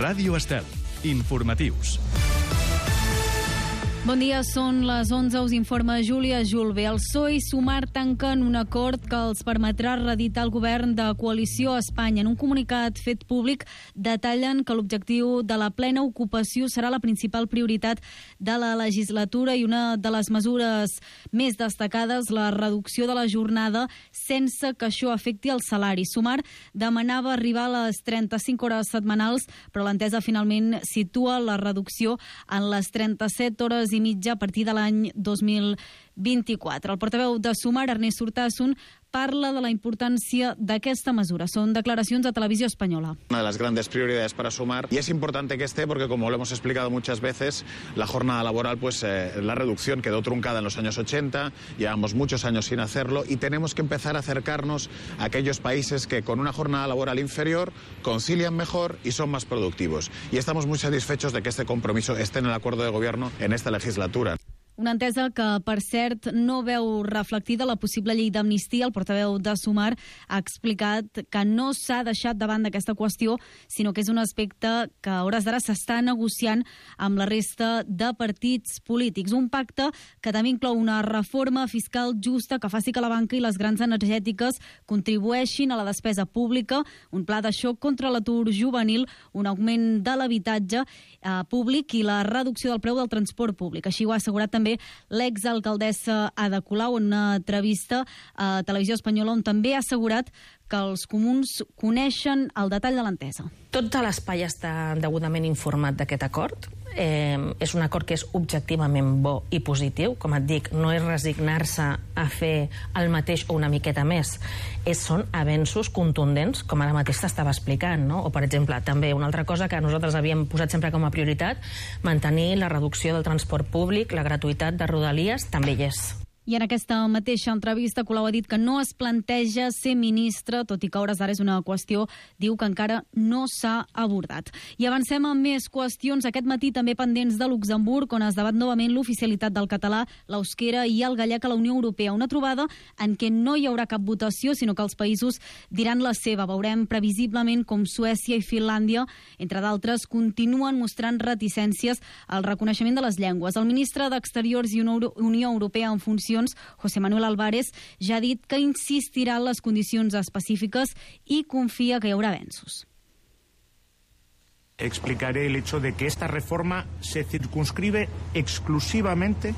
Ràdio Estel. Informatius. Bon dia, són les 11, us informa Júlia Julve. El PSOE i Sumar tanquen un acord que els permetrà reeditar el govern de coalició a Espanya. En un comunicat fet públic detallen que l'objectiu de la plena ocupació serà la principal prioritat de la legislatura i una de les mesures més destacades, la reducció de la jornada sense que això afecti el salari. Sumar demanava arribar a les 35 hores setmanals, però l'entesa finalment situa la reducció en les 37 hores i mitja a partir de l'any 2024. El portaveu de Sumar, Ernest Urtasun, parla de la importància d'aquesta mesura. Son declaracions a Televisió Espanyola. Una de las grandes prioridades para Sumar, y es importante que esté porque, como lo hemos explicado muchas veces, la jornada laboral, la reducción quedó truncada en los años 80, llevamos muchos años sin hacerlo y tenemos que empezar a acercarnos a aquellos países que con una jornada laboral inferior concilian mejor y son más productivos. Y estamos muy satisfechos de que este compromiso esté en el acuerdo de gobierno en esta legislatura. Una entesa que, per cert, no veu reflectida la possible llei d'amnistia. El portaveu de Sumar ha explicat que no s'ha deixat de banda aquesta qüestió, sinó que és un aspecte que a hores d'ara s'està negociant amb la resta de partits polítics. Un pacte que també inclou una reforma fiscal justa que faci que la banca i les grans energètiques contribueixin a la despesa pública, un pla de xoc contra l'atur juvenil, un augment de l'habitatge públic i la reducció del preu del transport públic. Així ho ha assegurat també l'exalcaldessa Ada Colau en una entrevista a Televisió Espanyola, on també ha assegurat que els comuns coneixen el detall de l'entesa. Tot l'espai està degudament informat d'aquest acord. És un acord que és objectivament bo i positiu. Com et dic, no és resignar-se a fer el mateix o una miqueta més. Són avenços contundents, com ara mateix t'estava explicant, no? O, per exemple, també una altra cosa que nosaltres havíem posat sempre com a prioritat, mantenir la reducció del transport públic, la gratuïtat de Rodalies, també hi és. I en aquesta mateixa entrevista, Colau ha dit que no es planteja ser ministre, tot i que a hores d'ara és una qüestió, diu que encara no s'ha abordat. I avancem amb més qüestions. Aquest matí també pendents de Luxemburg, on es debat novament l'oficialitat del català, l'euskera i el gallec a la Unió Europea. Una trobada en què no hi haurà cap votació, sinó que els països diran la seva. Veurem previsiblement com Suècia i Finlàndia, entre d'altres, continuen mostrant reticències al reconeixement de les llengües. El ministre d'Exteriors i Unió Europea en funció, José Manuel Álvarez, ja ha dit que insistirà en les condicions específiques i confia que hi haurà avenços. Explicaré el hecho de que esta reforma se circunscribe exclusivamente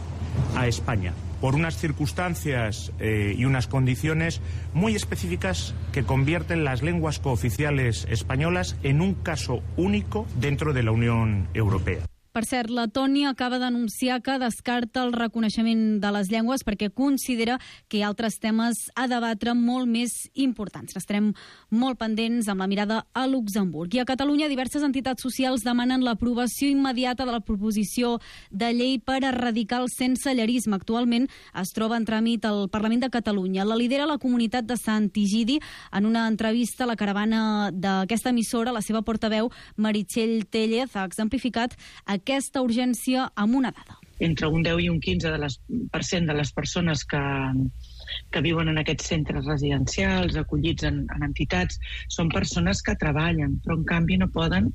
a España, por unas circunstancias y unas condiciones muy específicas que convierten las lenguas cooficiales españolas en un caso único dentro de la Unión Europea. Per cert, Letònia acaba d'anunciar que descarta el reconeixement de les llengües perquè considera que hi ha altres temes a debatre molt més importants. Estarem molt pendents amb la mirada a Luxemburg. I a Catalunya, diverses entitats socials demanen l'aprovació immediata de la proposició de llei per erradicar el sensellarisme. Actualment es troba en tràmit al Parlament de Catalunya. La lidera la comunitat de Sant Igidi. En una entrevista a la caravana d'aquesta emissora, la seva portaveu, Meritxell Tellez, ha exemplificat aquesta urgència amb una dada. Entre un 10 i un 15% de les persones que viuen en aquests centres residencials, acollits en entitats, són persones que treballen, però en canvi no poden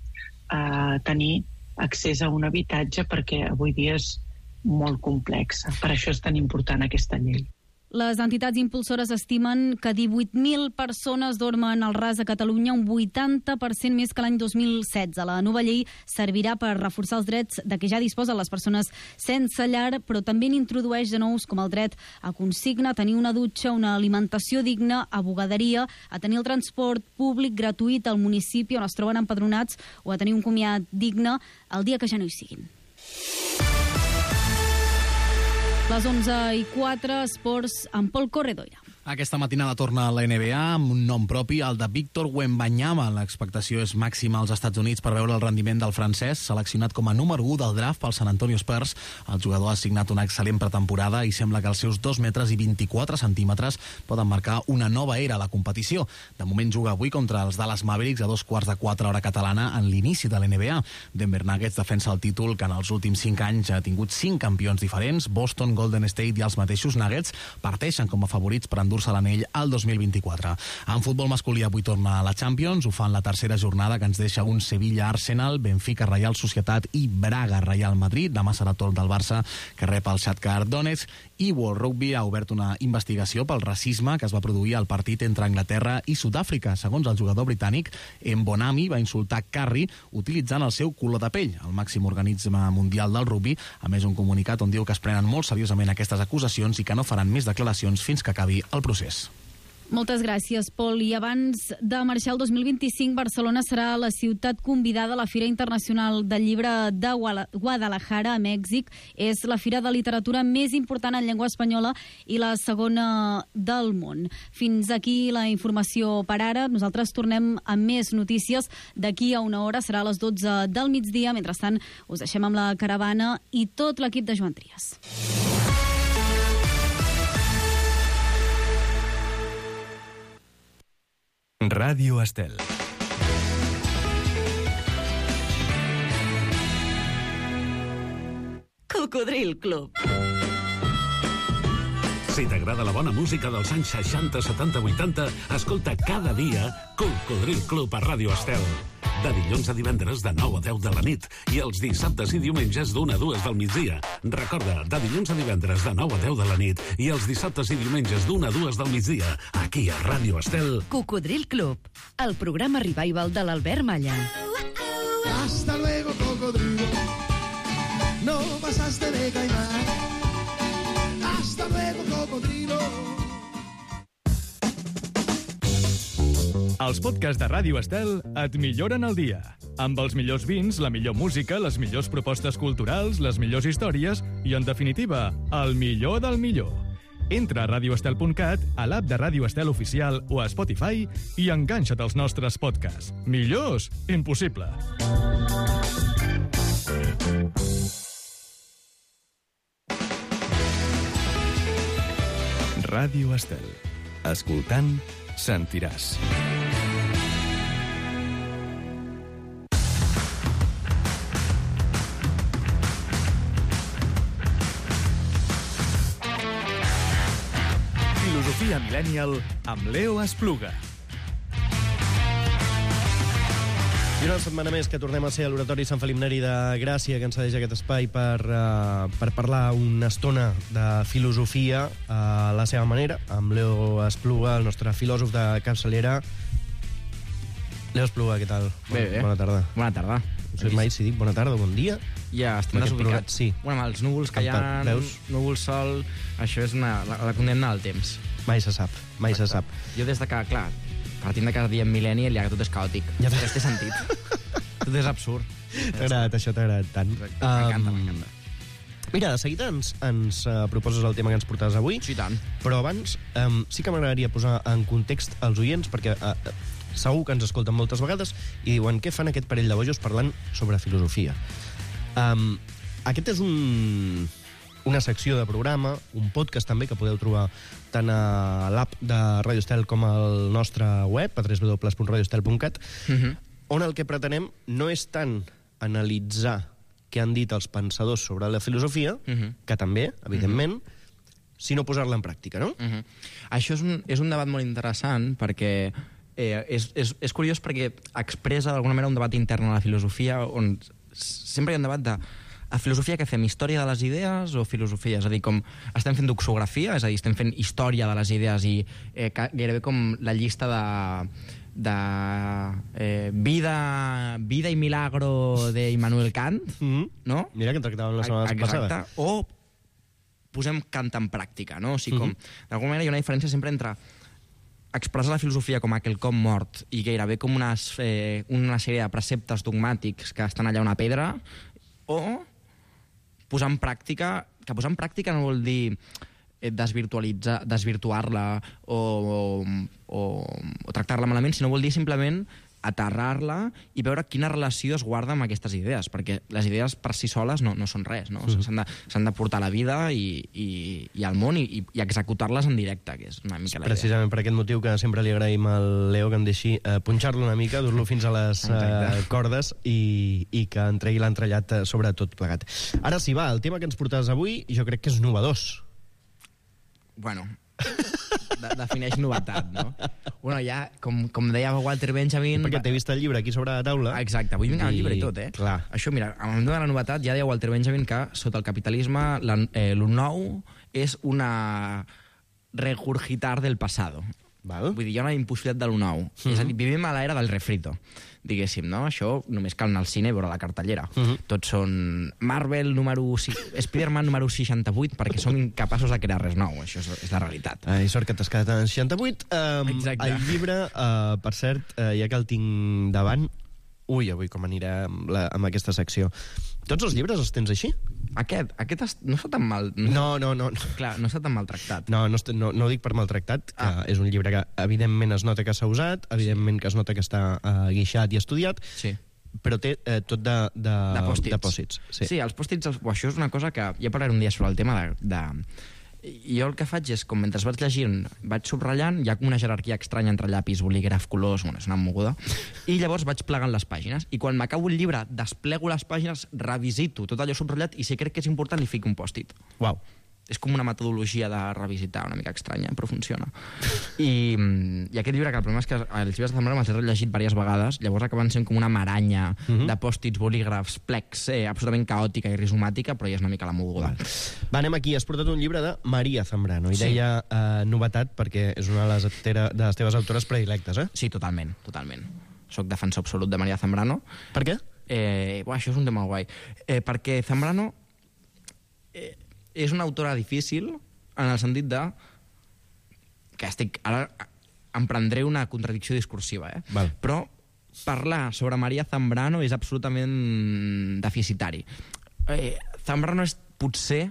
tenir accés a un habitatge perquè avui dia és molt complexa. Per això és tan important aquesta llei. Les entitats impulsores estimen que 18.000 persones dormen al ras a Catalunya, un 80% més que l'any 2016. La nova llei servirà per reforçar els drets de què ja disposen les persones sense llar, però també n'introdueix de nous com el dret a consigna, a tenir una dutxa, una alimentació digna, a bugaderia, a tenir el transport públic gratuït al municipi on es troben empadronats o a tenir un comiat digne el dia que ja no hi siguin. Les 11:04, esports amb Pol Corredoira. Aquesta matinada torna a la NBA amb un nom propi, el de Víctor Wembanyama. L'expectació és màxima als Estats Units per veure el rendiment del francès, seleccionat com a número 1 del draft pel San Antonio Spurs. El jugador ha signat una excel·lent pretemporada i sembla que els seus 2 metres i 24 centímetres poden marcar una nova era a la competició. De moment juga avui contra els Dallas Mavericks a 3:45 hora catalana en l'inici de la NBA. Denver Nuggets defensa el títol que en els últims 5 anys ha tingut 5 campions diferents. Boston, Golden State i els mateixos Nuggets parteixen com a favorits per endur endur-se l'anell al 2024. En futbol masculí avui torna a la Champions, ho fa en la tercera jornada que ens deixa un Sevilla-Arsenal, Benfica-Reial Societat i Braga-Real Madrid. Demà serà torn del Barça, que rep el Shakhtar Donetsk, i World Rugby ha obert una investigació pel racisme que es va produir al partit entre Anglaterra i Sud-àfrica. Segons el jugador britànic, Mbonami va insultar Carri utilitzant el seu color de pell. El màxim organisme mundial del rugby, a més un comunicat on diu que es prenen molt seriosament aquestes acusacions i que no faran més declaracions fins que acabi el procés. Moltes gràcies, Pol. I abans de marxar el 2025, Barcelona serà la ciutat convidada a la Fira Internacional del Llibre de Guadalajara, a Mèxic. És la fira de literatura més important en llengua espanyola i la segona del món. Fins aquí la informació per ara. Nosaltres tornem amb més notícies d'aquí a una hora. Serà a les 12 del migdia. Mentrestant, us deixem amb la caravana i tot l'equip de Joan Trias. Ràdio Estel. Cocodril Club. Si t'agrada la bona música dels anys 60, 70, 80, escolta cada dia Cocodril Club a Ràdio Estel. De dilluns a divendres de 9 a 10 de la nit i els dissabtes i diumenges d'1 a 2 del migdia. Recorda, de dilluns a divendres de 9 a 10 de la nit i els dissabtes i diumenges d'1 a 2 del migdia, aquí a Ràdio Estel. Cocodril Club, el programa revival de l'Albert Malla. Hasta luego, cocodrilo. No pasaste de caimán. Hasta luego, cocodrilo. Els podcasts de Ràdio Estel et milloren el dia. Amb els millors vins, la millor música, les millors propostes culturals, les millors històries i, en definitiva, el millor del millor. Entra a radioestel.cat, a l'app de Ràdio Estel Oficial o a Spotify i enganxa't als nostres podcasts. Millors? Impossible. Ràdio Estel. Escoltant, sentiràs. Filosofia Millennial amb Leo Espluga. I una setmana més que tornem a ser a l'Oratori Sant Felip Neri de Gràcia, que ens cedeix aquest espai per parlar una estona de filosofia a la seva manera, amb Leo Espluga, el nostre filòsof de capçalera. Leo Espluga, què tal? Bé. Bona tarda. Bona tarda. No sé mai si dic bona tarda o bon dia. Ja, estem desubicats. Sí. Bueno, amb els núvols que hi ha, núvols, sol, això és la condemna del temps. Mai se sap, mai se sap. Jo des de que, clar, partint de cada dia en Millennial, ja que tot és caòtic. Ja té sentit. Tot és absurd. T'ha agradat, això t'ha agradat tant. M'encanta. Mira, de seguida ens proposes el tema que ens portaves avui. Sí, tant. Però abans sí que m'agradaria posar en context els oients, perquè segur que ens escolten moltes vegades i diuen què fan aquest parell de bojos parlant sobre filosofia. Aquest és una secció de programa, un podcast també, que podeu trobar tant a l'app de Radio Estel com al nostre web, a www.radioestel.cat, on el que pretenem no és tant analitzar què han dit els pensadors sobre la filosofia, que també, evidentment, sinó posar-la en pràctica, no? Això és un debat molt interessant, perquè és curiós perquè expressa d'alguna manera un debat intern a la filosofia, on sempre hi ha un debat de a filosofia que fem història de les idees o filosofia? És a dir, com estem fent doxografia, és a dir, estem fent història de les idees i gairebé com la llista de vida i milagro de Immanuel Kant, no? Mira que tractàvem la setmana passada. O posem Kant en pràctica, no? O sigui, com, d'alguna manera hi ha una diferència sempre entre expressar la filosofia com aquelcom mort i gairebé com una sèrie de preceptes dogmàtics que estan allà a una pedra, o posar en pràctica, que posar en pràctica no vol dir desvirtuar-la o tractar-la malament, sinó vol dir simplement aterrar-la i veure quina relació es guarda amb aquestes idees, perquè les idees per si soles no són res, no? S'han de portar a la vida i al món i executar-les en directe, que és una mica la idea. Precisament per aquest motiu que sempre li agraïm al Leo que em deixi punxar-lo una mica, dur-lo fins a les cordes i que en tregui l'entrellat sobre tot plegat. Ara sí, va, el tema que ens portaves avui jo crec que és novedós. Bueno, defineix novetat, no? Bueno, ja, com deia Walter Benjamin... Perquè t'he vist el llibre aquí sobre la taula. Exacte, avui vinc amb el llibre i tot, Clar. Això, mira, amb la novetat ja deia Walter Benjamin que sota el capitalisme lo nou és una regurgitar del pasado. Val. Vull dir, hi ha una impossibilitat de lo nou. És a dir, vivim a l'era del refrito, diguéssim, no? Això només cal anar al cine i veure la cartellera. Tots són Marvel Spider-Man número 68 perquè som incapaços de crear res nou. Això és la realitat. I sort que t'has quedat en 68. Exacte. El llibre, per cert, ja que el tinc davant... Ui, avui com anirà amb aquesta secció. Tots els llibres els tens així? Aquest no està tan mal... No. Clar, no està tan maltractat. No ho dic per maltractat, que és un llibre que evidentment es nota que s'ha usat, evidentment que es nota que està guixat i estudiat, però té tot de pòsits. Sí, els pòsits... Això és una cosa que... Ja parlaré un dia sobre el tema de... Jo el que faig és, com mentre vaig llegint, vaig subratllant, hi ha com una jerarquia estranya entre llapis, bolígraf, colors, bueno, és una moguda, i llavors vaig plegant les pàgines, i quan m'acabo el llibre, desplego les pàgines, revisito tot allò subratllat, i si crec que és important, li fico un pòstit. Uau. És com una metodologia de revisitar, una mica estranya, però funciona. I aquest llibre, que el problema és que els llibres de Zambrano me'ls he rellegit diverses vegades, llavors acaben sent com una maranya de pòstits, bolígrafs, plecs, absolutament caòtica i rizomàtica, però ja és una mica la moguda. Va, anem aquí. Has portat un llibre de Maria Zambrano, i deia novetat perquè és una de les teves autores predilectes, eh? Sí, totalment. Soc defensor absolut de Maria Zambrano. Per què? Això és un tema guai. Perquè Zambrano... és una autora difícil en el sentit de que ara emprendré una contradicció discursiva, però parlar sobre Maria Zambrano és absolutament deficitari. Zambrano és potser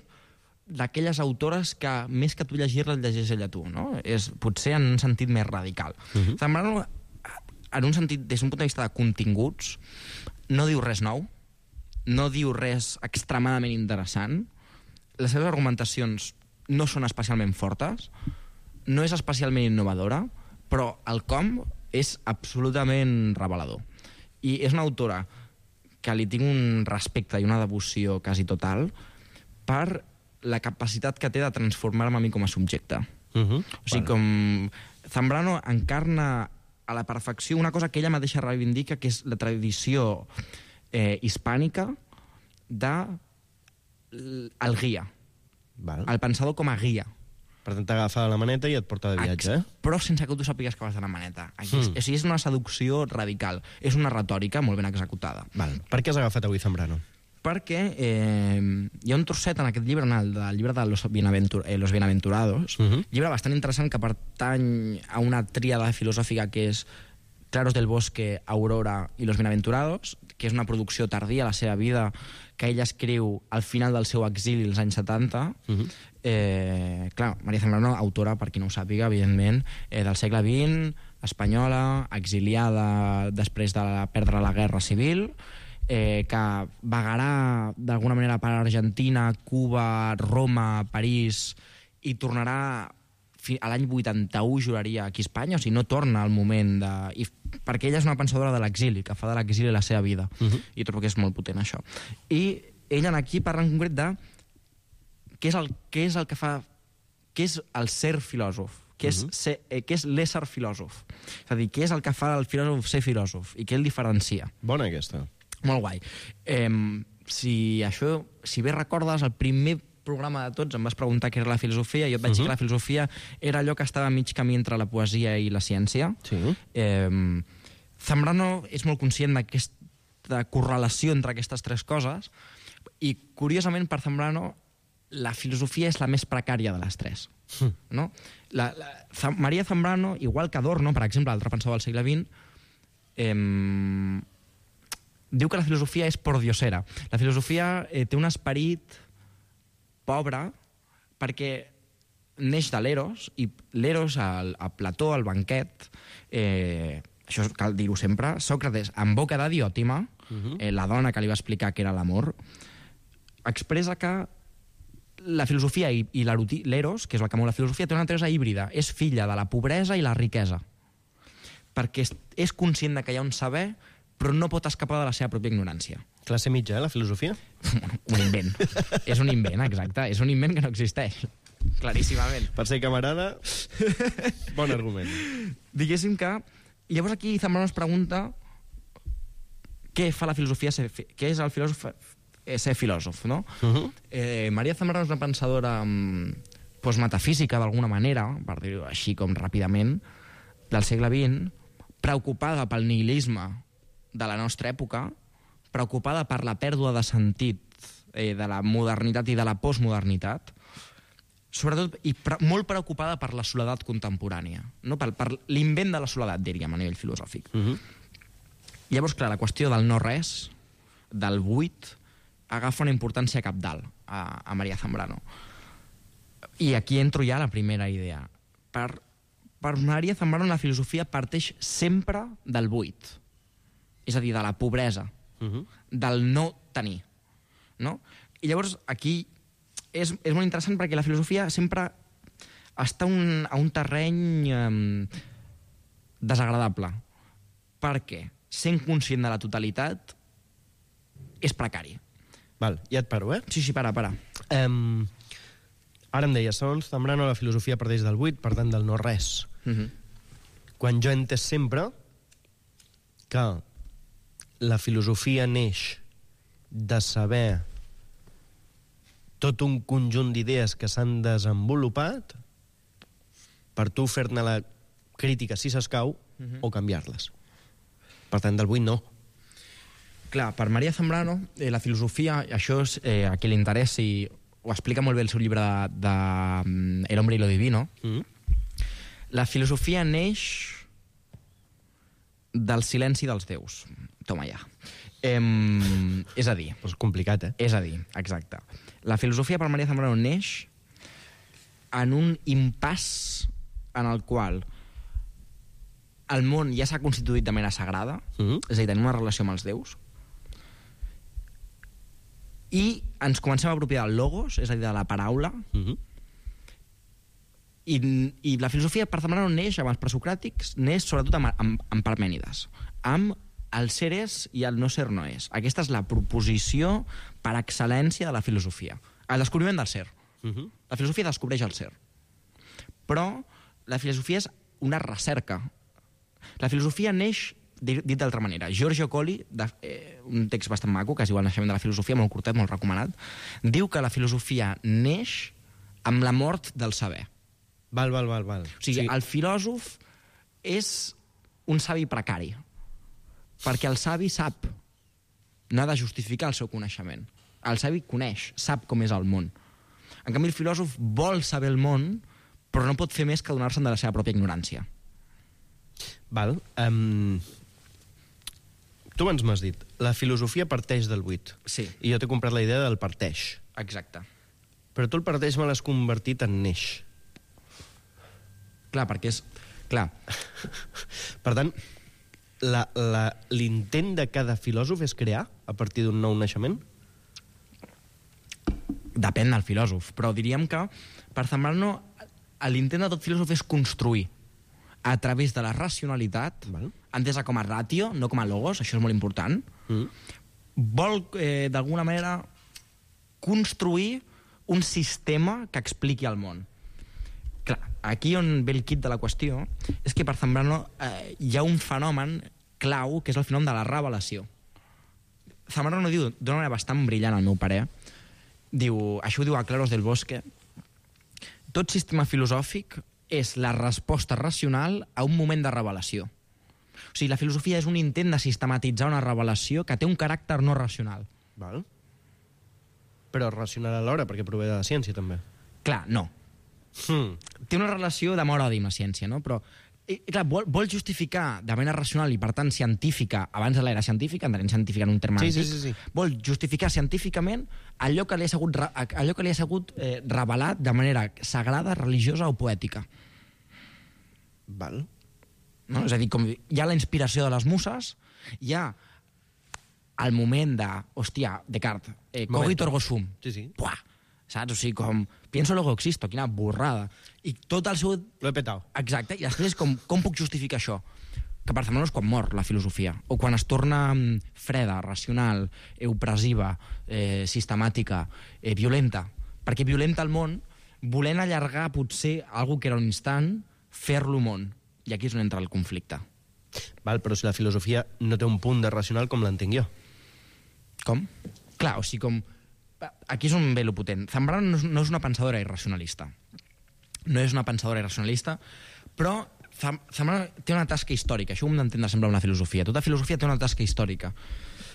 d'aquelles autores que més que tu llegir-la llegeix ella tu, no? És potser en un sentit més radical. Zambrano, en un sentit, des d'un punt de vista de continguts, no diu res nou, no diu res extremadament interessant. Les seves argumentacions no són especialment fortes, no és especialment innovadora, però el com és absolutament revelador. I és una autora que li tinc un respecte i una devoció quasi total per la capacitat que té de transformar-me a mi com a subjecte. O sigui, com Zambrano encarna a la perfecció una cosa que ella mateixa reivindica, que és la tradició hispànica de el guia. El pensador com a guia. Per tant, t'agafa la maneta i et porta de viatge, Però sense que tu sàpigues que vas de la maneta. És una seducció radical. És una retòrica molt ben executada. Per què has agafat avui Zambrano? Perquè hi ha un trosset en aquest llibre, el llibre de Los Bienaventurados, llibre bastant interessant que pertany a una tríada filosòfica que és Claros del Bosque, Aurora i Los Bienaventurados, que és una producció tardía a la seva vida, que ella escriu al final del seu exili als anys 70. Clar, Maria Zambrano, autora, per qui no ho sàpiga, evidentment, del segle XX, espanyola, exiliada després de perdre la guerra civil, que vagarà d'alguna manera per Argentina, Cuba, Roma, París, i tornarà a l'any 81, juraria, aquí a Espanya, o sigui, no torna al moment de... perquè ella és una pensadora de l'exili, que fa de l'exili la seva vida, i trobo que és molt potent això. I ella aquí parla en concret de què és el que fa... què és el ser filòsof, què és l'ésser filòsof. És a dir, què és el que fa el filòsof ser filòsof, i què el diferencia. Bona aquesta. Molt guai. Si bé recordes, el primer programa de tots em vas preguntar què era la filosofia, i jo et vaig dir que la filosofia era allò que estava a mig camí entre la poesia i la ciència. Zambrano és molt conscient d'aquesta correlació entre aquestes tres coses, i curiosament per Zambrano la filosofia és la més precària de les tres. Maria Zambrano, igual que Adorno, per exemple, altre pensador del segle XX, diu que la filosofia és pordiosera. La filosofia té un esperit pobre perquè neix de l'Eros, i l'Eros, a Plató, al banquet, això cal dir-ho sempre, Sòcrates, en boca de Diòtima, la dona que li va explicar què era l'amor, expressa que la filosofia i l'Eros, que és el que mou la filosofia, té una naturalesa híbrida, és filla de la pobresa i la riquesa, perquè és conscient que hi ha un saber, però no pot escapar de la seva pròpia ignorància. Classe mitja, la filosofia? Un invent. És un invent, exacte. És un invent que no existeix. claríssimament. Per ser camarada, bon argument. Diguéssim que... Llavors aquí Zambrano es pregunta què fa la filosofia, què és el filòsof ser filòsof, no? Maria Zambrano és una pensadora postmetafísica, d'alguna manera, per dir-ho així com ràpidament, del segle XX, preocupada pel nihilisme de la nostra època, preocupada per la pèrdua de sentit de la modernitat i de la postmodernitat, sobretot, i molt preocupada per la soledat contemporània, no? per l'invent de la soledat, diríem, a nivell filosòfic. Llavors, clar, la qüestió del no-res, del buit, agafa una importància cabdal a Maria Zambrano. I aquí entro ja a la primera idea. Per Maria Zambrano la filosofia parteix sempre del buit, és a dir, de la pobresa, del no tenir. No? I llavors aquí és molt interessant perquè la filosofia sempre està a un terreny desagradable. Perquè sent conscient de la totalitat és precari. Val, ja et paro, Sí, para. Ara em deia, segons Zambrano, la filosofia parteix del buit, per tant, del no-res. Quan jo he entès sempre que la filosofia neix de saber tot un conjunt d'idees que s'han desenvolupat per tu fer-ne la crítica, si s'escau, o canviar-les. Per tant, del buit no. Clar, per Maria Zambrano, la filosofia, això és a qui li interessi, ho explica molt bé el seu llibre de El hombre y lo divino, la filosofia neix del silenci dels déus. Toma ja. És a dir... És complicat, És a dir, exacte. La filosofia per Maria Zambrano neix en un impàs en el qual el món ja s'ha constituït de manera sagrada, és a dir, tenim una relació amb els déus, i ens comencem a apropiar del logos, és a dir, de la paraula, i la filosofia per Zambrano neix amb els presocràtics, neix sobretot amb Parmènides, amb el ser és i el no ser no és. Aquesta és la proposició per excel·lència de la filosofia. El descobriment del ser. La filosofia descobreix el ser. Però la filosofia és una recerca. La filosofia neix, dit d'altra manera, Giorgio Colli, un text bastant maco, que es diu El naixement de la filosofia, molt curtet, molt recomanat, diu que la filosofia neix amb la mort del saber. Val. O sigui, el filòsof és un savi precari, perquè el savi sap, no ha de justificar el seu coneixement. El savi coneix, sap com és el món. En canvi, el filòsof vol saber el món, però no pot fer més que donar-se'n de la seva pròpia ignorància. Val. Tu abans m'has dit, la filosofia parteix del buit. Sí. I jo t'he comprat la idea del parteix. Exacte. Però tu el parteix me l'has convertit en neix. Clar, perquè és... Clar. Per tant, l'intent de cada filòsof és crear a partir d'un nou naixement? Depèn del filòsof, però diríem que per Zambrano l'intent de tot filòsof és construir a través de la racionalitat, entesa com a ratio, no com a logos, això és molt important, vol d'alguna manera construir un sistema que expliqui el món. Clar, aquí on ve el quid de la qüestió és que per Zambrano hi ha un fenomen clau, que és el fenomen de la revelació. Zambrano diu d'una manera bastant brillant, al meu parer, això ho diu a Claros del Bosque, tot sistema filosòfic és la resposta racional a un moment de revelació. O sigui, la filosofia és un intent de sistematitzar una revelació que té un caràcter no racional. Val. Però racional alhora, perquè prové de la ciència, també. Clar, no. Té una relació d'amor-odi amb la ciència, no? Però, clar, vol justificar de manera racional i, per tant, científica, abans de l'era científica, entenem científica en un terme antic, sí. Vol justificar científicament allò que li ha sigut revelat de manera sagrada, religiosa o poètica. Val. No? És a dir, com hi ha la inspiració de les muses, hi ha el moment de, hòstia, Descartes, cogito ergo sum. Sí. Buah, saps? O sigui, com, pienso luego existo, quina borrada. I tot el seu... Lo he petao. Exacte, i després com puc justificar això? Que per Zambrano és quan mor la filosofia, o quan es torna freda, racional, opressiva, sistemàtica, violenta. Perquè violenta el món volent allargar potser algo que era un instant, fer-lo món. I aquí és on entra el conflicte. Val, però si la filosofia no té un punt de racional com l'entenc jo. Com? Clar, o sigui, com... Aquí és on ve lo potent. Zambrano no és una pensadora irracionalista. No és una pensadora irracionalista, però Zambrano té una tasca històrica. Això ho hem d'entendre sempre una filosofia. Tota filosofia té una tasca històrica.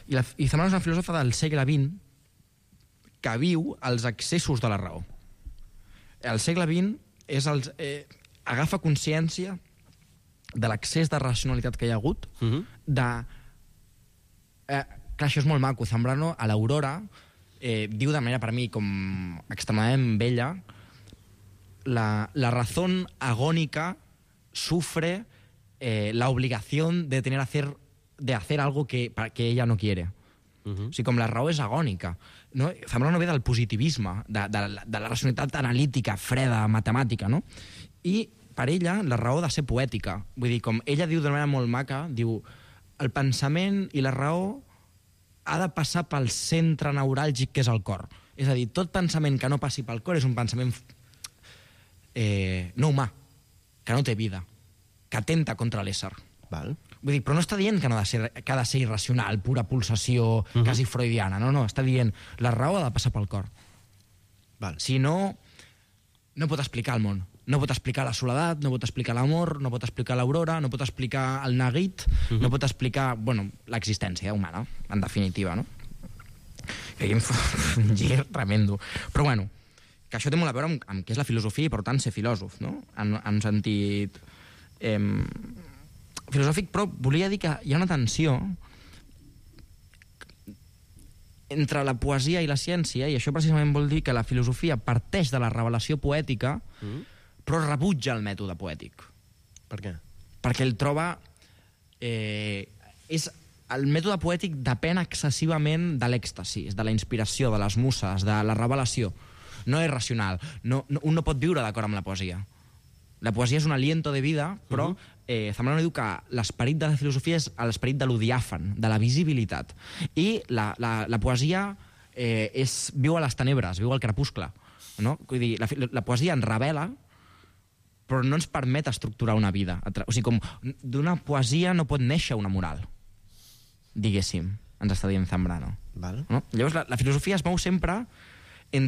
I Zambrano és una filòsofa del segle XX que viu els excessos de la raó. El segle XX agafa consciència de l'excés de racionalitat que hi ha hagut, clar, això és molt maco. Zambrano, a l'Aurora, diu de manera, per mi, com extremadament bella, la razón agónica sufre la obligación de hacer algo que ella no quiere. O sigui, com la raó és agònica. No? Zambrano ve del positivisme, de la racionalitat analítica, freda, matemàtica, no? I per ella la raó ha de ser poètica. Vull dir, com ella diu d'una manera molt maca, diu, el pensament i la raó ha de passar pel centre neuràlgic que és el cor. És a dir, tot pensament que no passi pel cor és un pensament no humà, que no té vida, que atenta contra l'ésser. Val. Vull dir, però no està dient que ha de ser irracional, pura pulsació, quasi freudiana. No, està dient la raó ha de passar pel cor. Val. Si no, no pot explicar el món. No pot explicar la soledat, no pot explicar l'amor, no pot explicar l'aurora, no pot explicar el neguit, no pot explicar, bueno, l'existència humana, en definitiva, no? Que aquí em fa un gir tremendo. Però bueno, que això té molt a veure amb què és la filosofia i, per tant, ser filòsof, no? En sentit filosòfic, però volia dir que hi ha una tensió entre la poesia i la ciència, i això precisament vol dir que la filosofia parteix de la revelació poètica, però rebutja el mètode poètic. Per què? Perquè ell troba... el mètode poètic depèn excessivament de l'èxtasi, de la inspiració, de les muses, de la revelació. No és racional. Un no pot viure d'acord amb la poesia. La poesia és un aliento de vida, però Zambrano diu que l'esperit de la filosofia és l'esperit de lo diàfan, de la visibilitat. I la poesia viu a les tenebres, viu al crepuscle. No? Vull dir, la poesia ens revela, però no ens permet estructurar una vida. O sigui, com d'una poesia no pot néixer una moral, diguéssim, ens està dient Zambrano. Val. No? Llavors, la filosofia es mou sempre en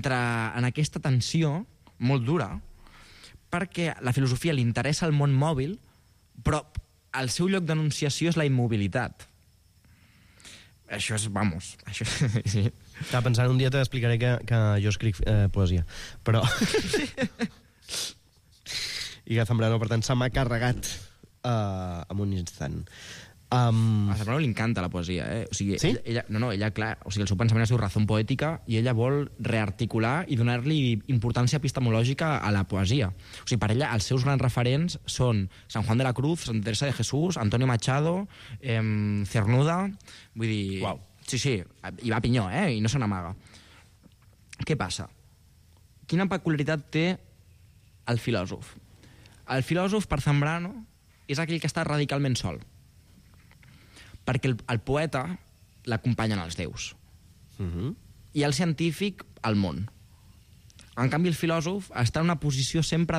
aquesta tensió molt dura, perquè a la filosofia li interessa el món mòbil, però el seu lloc d'enunciació és la immobilitat. Això és, vamos... Això, sí. Estava pensant, un dia t'explicaré que jo escric poesia, però... I que Zambrano, per tant, se m'ha carregat en un instant. A Zambrano li encanta la poesia, O sigui, sí? Ella, clar, o sigui, el seu pensament es diu razón poètica i ella vol rearticular i donar-li importància epistemològica a la poesia. O sigui, per ella, els seus grans referents són San Juan de la Cruz, Santa Teresa de Jesús, Antonio Machado, Cernuda... Vull dir... Uau. Sí, i va a pinyó, I no se n'amaga. Què passa? Quina peculiaritat té el filòsof? El filòsof, per Zambrano, és aquell que està radicalment sol. Perquè el poeta l'acompanyen els déus. I el científic, el món. En canvi, el filòsof està en una posició sempre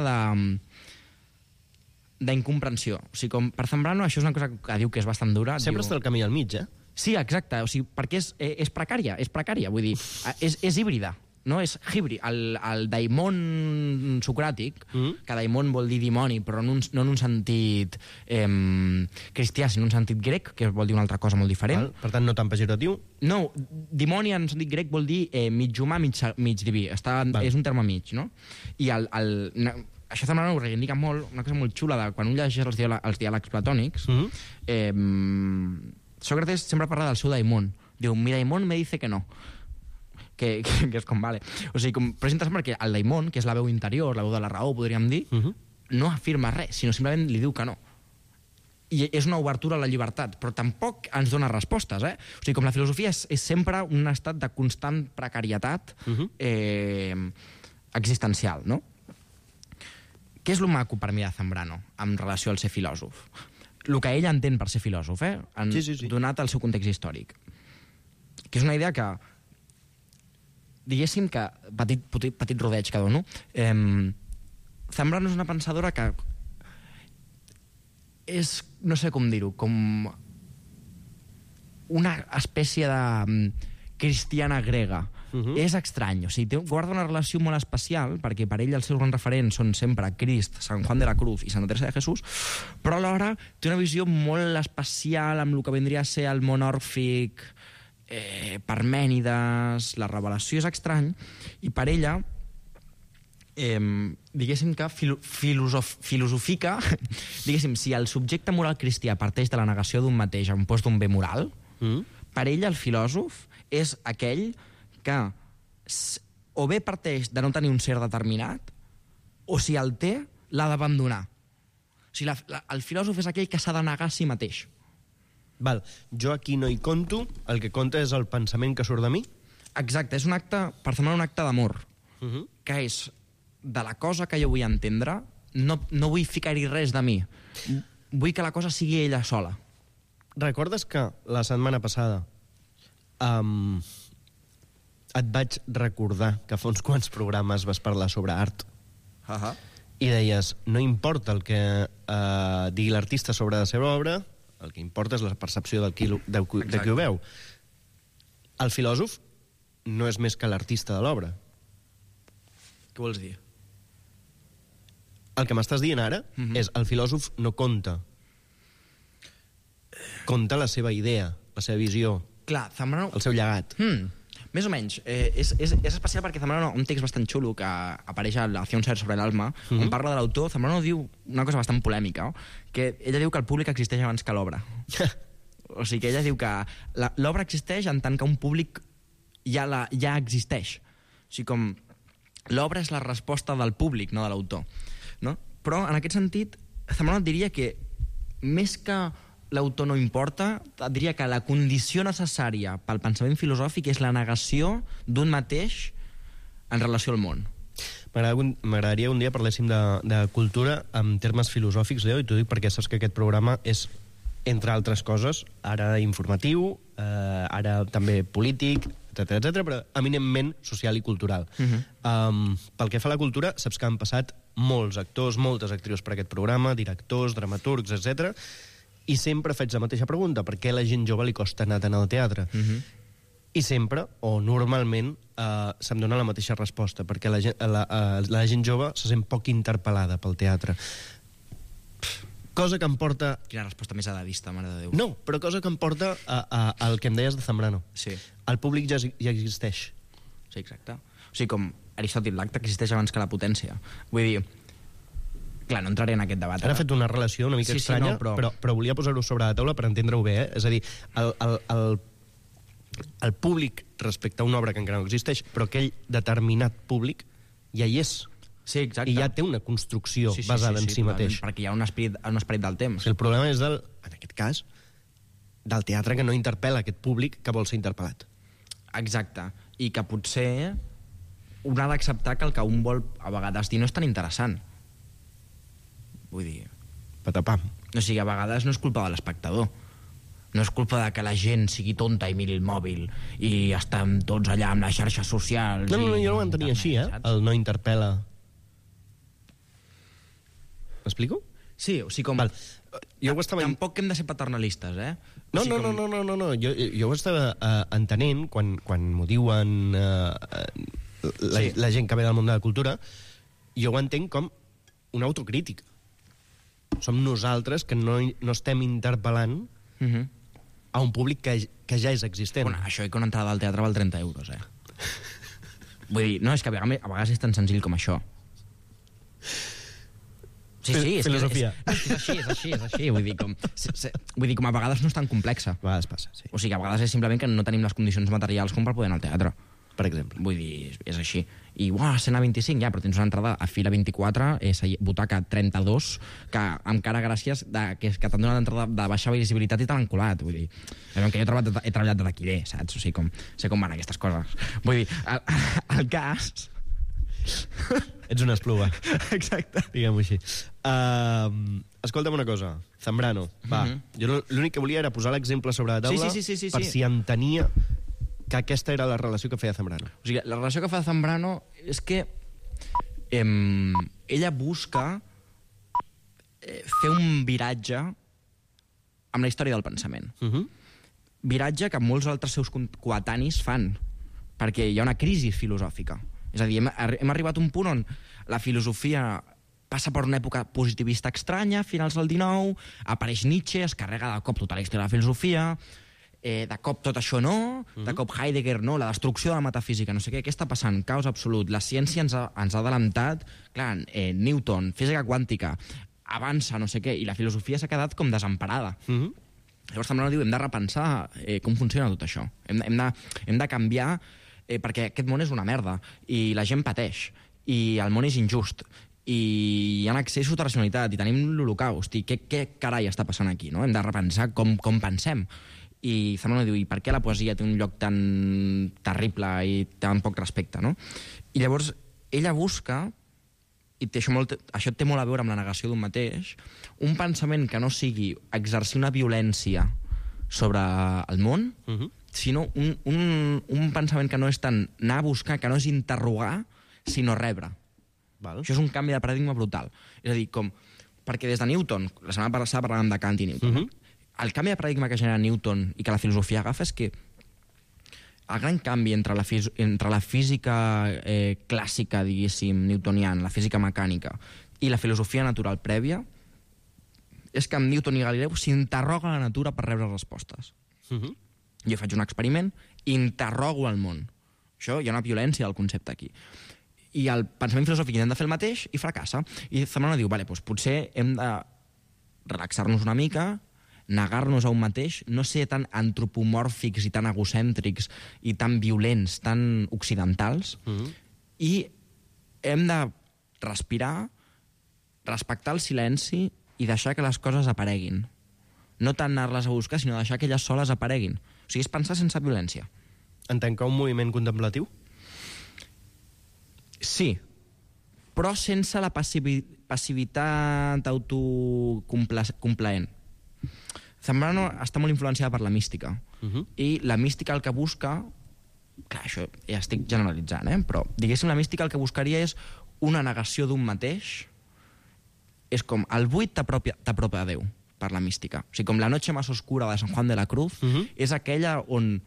d'incomprensió. O sigui, com per Zambrano, això és una cosa que diu que és bastant dura. Sempre està al camí al mig, Sí, exacte. O sigui, perquè és precària, vull dir, és híbrida. No? És híbrid. El daimon socràtic, que daimon vol dir dimoni, però no en un sentit cristià, sinó en un sentit grec, que vol dir una altra cosa molt diferent. Per tant, no tan pejoratiu? No, dimoni en sentit grec vol dir mig humà, mig diví. És un terme mig, no? I això Zambrano ho reivindica molt, una cosa molt xula, de quan un llegeix els diàlegs platònics, Sócrates sempre parla del seu daimon. Diu, mi daimon me dice que no. Que és com, vale. O sigui, però és interessant perquè el daimon, que és la veu interior, la veu de la raó, podríem dir, no afirma res, sinó simplement li diu que no. I és una obertura a la llibertat, però tampoc ens dona respostes, O sigui, com la filosofia és sempre un estat de constant precarietat existencial, no? Què és lo maco per mi de Zambrano en relació al ser filòsof? El que ell entén per ser filòsof, donat el seu context històric. Que és una idea que diguéssim que, petit rodeig que dono, Zambrano és una pensadora que és, no sé com dir-ho, com una espècie de cristiana grega. És estrany, o sigui, guarda una relació molt especial, perquè per ell els seus grans referents són sempre Crist, Sant Juan de la Cruz i Santa Teresa de Jesús, però alhora té una visió molt especial amb el que vindria a ser el món òrfic, Parmènides, la revelació és estrany, i per ella diguéssim que filosofica diguéssim, si el subjecte moral cristià parteix de la negació d'un mateix en post d'un bé moral, per ella el filòsof és aquell que o bé parteix de no tenir un ser determinat, o si el té, l'ha d'abandonar. O sigui, el filòsof és aquell que s'ha de negar a si mateix. Val. Jo aquí no hi conto, el que compta és el pensament que surt de mi? Exacte, és un acte, per semblar un acte d'amor, que és de la cosa que jo vull entendre, no vull ficar-hi res de mi. Vull que la cosa sigui ella sola. Recordes que la setmana passada et vaig recordar que fa uns quants programes vas parlar sobre art i deies, no importa el que digui l'artista sobre la seva obra, el que importa és la percepció de qui ho veu. El filòsof no és més que l'artista de l'obra. Què vols dir? El que m'estàs dient ara és el filòsof no conta la seva idea, la seva visió, clar, Zambrano... el seu llegat. Més o menys. És especial perquè Zambrano, un text bastant xulo que apareix a Hacia un ser sobre l'alma, on parla de l'autor, Zambrano diu una cosa bastant polèmica, que ella diu que el públic existeix abans que l'obra. O sigui que ella diu que l'obra existeix en tant que un públic ja existeix. O sigui, com l'obra és la resposta del públic, no de l'autor. No? Però, en aquest sentit, Zambrano diria que més que l'autor no importa, diria que la condició necessària pel pensament filosòfic és la negació d'un mateix en relació al món. M'agradaria un dia parléssim de cultura en termes filosòfics, Leo, i t'ho dic perquè saps que aquest programa és, entre altres coses, ara informatiu, ara també polític, etc, però eminentment social i cultural. Pel que fa a la cultura, saps que han passat molts actors, moltes actrius per aquest programa, directors, dramaturgs, etc. I sempre faig la mateixa pregunta, per què a la gent jove li costa anar tant al teatre? I sempre, o normalment, se'm dona la mateixa resposta, perquè la gent jove se sent poc interpel·lada pel teatre. Cosa que em porta... Quina resposta més edadista, mare de Déu. No, però cosa que em porta al que em deies de Zambrano. Sí. El públic ja existeix. Sí, exacte. O sigui, com Aristòtil, l'acte existeix abans que la potència. Vull dir... Clar, no entraré en aquest debat. Ara he fet una relació una mica estranya, però volia posar-ho sobre la taula per entendre-ho bé. És a dir, el públic respecte a una obra que encara no existeix, però aquell determinat públic ja hi és. Sí, exacte. I ja té una construcció basada en si mateix. Perquè hi ha un esperit del temps. El problema és, en aquest cas, del teatre que no interpel·la aquest públic que vol ser interpel·lat. Exacte. I que potser un ha d'acceptar que el que un vol a vegades dir no és tan interessant. Vull dir... Patapam. O sigui, a vegades no és culpa de l'espectador. No és culpa de que la gent sigui tonta i miri el mòbil i estem tots allà amb les xarxes socials... No, jo no ho entenia així, el no interpel·la. M'explico? Sí, o sigui, com... Tampoc hem de ser paternalistes, eh? No. Jo ho estava entenent quan m'ho diuen la gent que ve del món de la cultura, jo ho entenc com una autocrítica. Som nosaltres que no estem interpel·lant a un públic que ja és existent. Bueno, això i que una entrada al teatre val 30 euros, Vull dir, no, és que a vegades és tan senzill com això. Sí, filosofia. És així. Vull dir, com a vegades no és tan complexa. A vegades passa, sí. O sigui, a vegades és simplement que no tenim les condicions materials com per poder anar al teatre. Per exemple. Vull dir, és així. I, escena 25, ja, però tens una entrada a fila 24, butaca 32, que encara gràcies que t'han donat entrada de baixa visibilitat i te l'han colat. Vull dir, que jo he treballat de taquiller, saps? O sigui, sé com van aquestes coses. Vull dir, el cas... Ets una espluga. Exacte. Diguem-ho així. Escolta'm una cosa, Zambrano, va. Jo l'únic que volia era posar l'exemple sobre la taula sí. per si entenia que aquesta era la relació que feia Zambrano. O sigui, la relació que fa Zambrano és que ella busca fer un viratge amb la història del pensament. Viratge que molts altres seus coetanis fan, perquè hi ha una crisi filosòfica. És a dir, hem arribat a un punt on la filosofia passa per una època positivista estranya, finals del XIX, apareix Nietzsche, es carrega de cop tota la història de la filosofia, de cop tot això no, de cop Heidegger no, la destrucció de la metafísica, no sé què està passant, caos absolut, la ciència ens ha adelantat, clar, Newton, física quàntica, avança, no sé què, i la filosofia s'ha quedat com desemparada. Llavors Zambrano diu, hem de repensar com funciona tot això, hem de canviar, perquè aquest món és una merda, i la gent pateix, i el món és injust, i hi ha excessos de racionalitat, i tenim l'Holocaust, i què carai està passant aquí, no? Hem de repensar com pensem. I Zambrano diu, i per què la poesia té un lloc tan terrible i tan poc respecte, no? I llavors ella busca, i això té molt a veure amb la negació d'un mateix, un pensament que no sigui exercir una violència sobre el món, sinó un pensament que no és tant anar a buscar, que no és interrogar, sinó rebre. Això és un canvi de paradigma brutal. És a dir, perquè des de Newton, la setmana passada parlàvem de Kant i Newton, el canvi de paradigma que genera Newton i que la filosofia agafa és que el gran canvi entre la física clàssica, diguéssim, newtoniana, la física mecànica, i la filosofia natural prèvia, és que amb Newton i Galileu s'interroga la natura per rebre respostes. Jo faig un experiment, interrogo el món. Això, hi ha una violència del concepte aquí. I el pensament filosòfic intenta fer el mateix i fracassa. I Zambrano diu, doncs potser hem de relaxar-nos una mica, negar-nos a un mateix, no ser tan antropomòrfics i tan egocèntrics i tan violents, tan occidentals, i hem de respirar, respectar el silenci i deixar que les coses apareguin. No tant anar-les a buscar, sinó deixar que elles soles apareguin. O sigui, és pensar sense violència. En tant que un moviment contemplatiu? Sí, però sense la passivitat autocomplaent. Zambrano està molt influenciada per la mística. I la mística el que busca... Clar, això ja estic generalitzant, però diguéssim, la mística el que buscaria és una negació d'un mateix. És com el buit t'apropa a Déu, per la mística. O sigui, com la noche más oscura de San Juan de la Cruz, és aquella on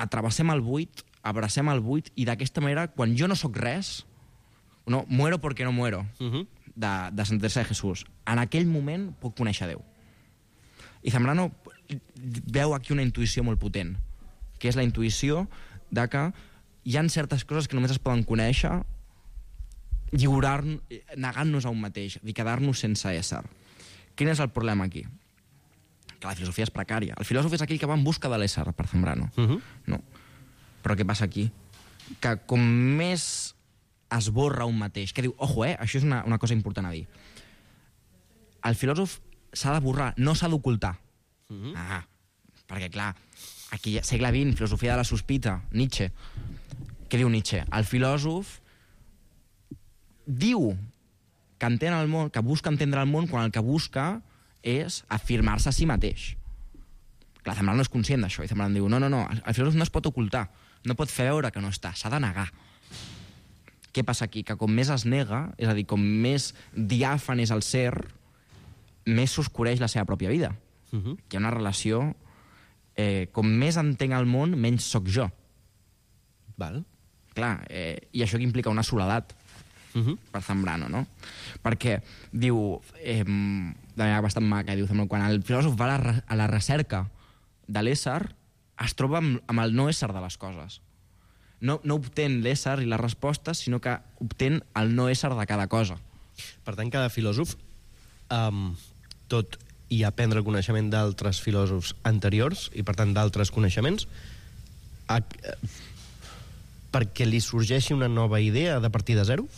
atrevessem el buit, abracem el buit, i d'aquesta manera, quan jo no sóc res, no, muero porque no muero, de Santa Teresa de Jesús, en aquell moment puc conèixer Déu. I Zambrano veu aquí una intuïció molt potent, que és la intuïció de que hi ha certes coses que només es poden conèixer negant-nos a un mateix, i quedar-nos sense ésser. Quin és el problema aquí? Que la filosofia és precària. El filòsof és aquell que va en busca de l'ésser, per Zambrano. No. Però què passa aquí? Que com més esborra un mateix, que diu, ojo, això és una cosa important a dir. El filòsof s'ha de borrar, no s'ha d'ocultar. Perquè, clar, aquí, segle XX, filosofia de la sospita, Nietzsche. Què diu Nietzsche? El filòsof diu que entén el món, que busca entendre el món, quan el que busca és afirmar-se a si mateix. Clar, Zambrano no és conscient d'això, i Zambrano diu, no, el filòsof no es pot ocultar, no pot fer veure que no està, s'ha de negar. Què passa aquí? Que com més es nega, és a dir, com més diàfan és el ser, més s'oscureix la seva pròpia vida. Hi ha una relació... com més entenc el món, menys sóc jo. Clar, i això que implica una soledat per Zambrano, no? Perquè diu, de manera bastant maca, diu Zambrano, quan el filòsof va a la recerca de l'ésser, es troba amb el no ésser de les coses. No obtén l'ésser i les respostes, sinó que obtén el no ésser de cada cosa. Per tant, cada filòsof, tot i aprendre el coneixement d'altres filòsofs anteriors, i per tant d'altres coneixements, perquè li sorgeixi una nova idea de partir de zero?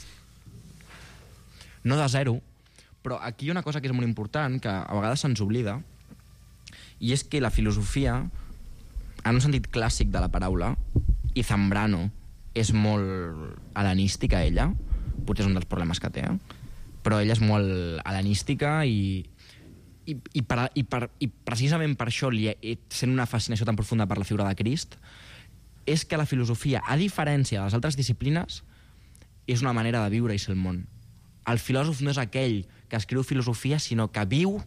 No de zero, però aquí hi ha una cosa que és molt important, que a vegades se'ns oblida, i és que la filosofia, en un sentit clàssic de la paraula, i Zambrano és molt hel·lenística, ella, potser és un dels problemes que té, però ella és molt hel·lenística i precisament per això, sent una fascinació tan profunda per la figura de Crist, és que la filosofia, a diferència de les altres disciplines, és una manera de viure i ser el món. El filòsof no és aquell que escriu filosofia, sinó que viu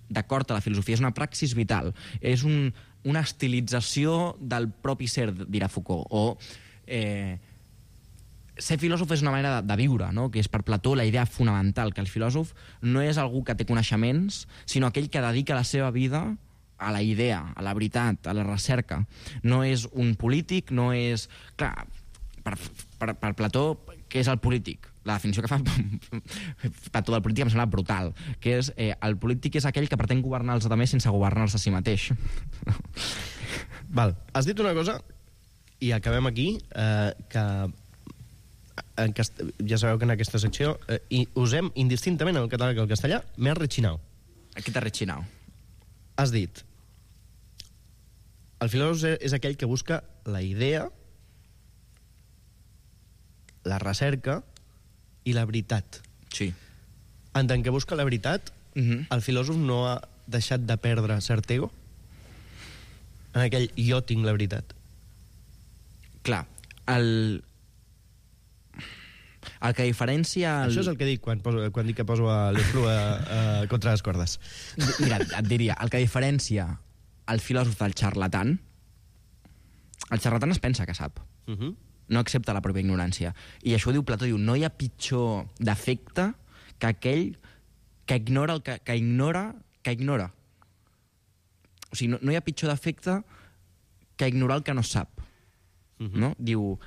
d'acord a la filosofia. És una praxis vital. És una estilització del propi ser, dirà Foucault. O ser filòsof és una manera de viure, no? Que és per Plató la idea fonamental, que el filòsof no és algú que té coneixements, sinó aquell que dedica la seva vida a la idea, a la veritat, a la recerca. No és un polític, no és... Clar, per Plató, què és el polític? La definició que fa Plató del polític em sembla brutal, que és el polític és aquell que pretén governar els altres sense governar-se a si mateix. Val, has dit una cosa, i acabem aquí, que ja sabeu que en aquesta secció usem indistintament el català que el castellà, m'he rechinau. Aquí t'ha rechinau. Has dit, el filòsof és aquell que busca la idea, la recerca i la veritat. Sí. En tant que busca la veritat, el filòsof no ha deixat de perdre cert ego? En aquell jo tinc la veritat. Clar, el que diferencia... Això és el que dic quan dic que poso l'Esplu contra les cordes. Mira, et diria, el que diferencia el filòsof del xarlatan, el xarlatan es pensa que sap. No accepta la pròpia ignorància. I això ho diu Plató, diu, no hi ha pitjor defecte que aquell que ignora el que ignora. O sigui, no hi ha pitjor defecte que ignorar el que no sap. No? Diu,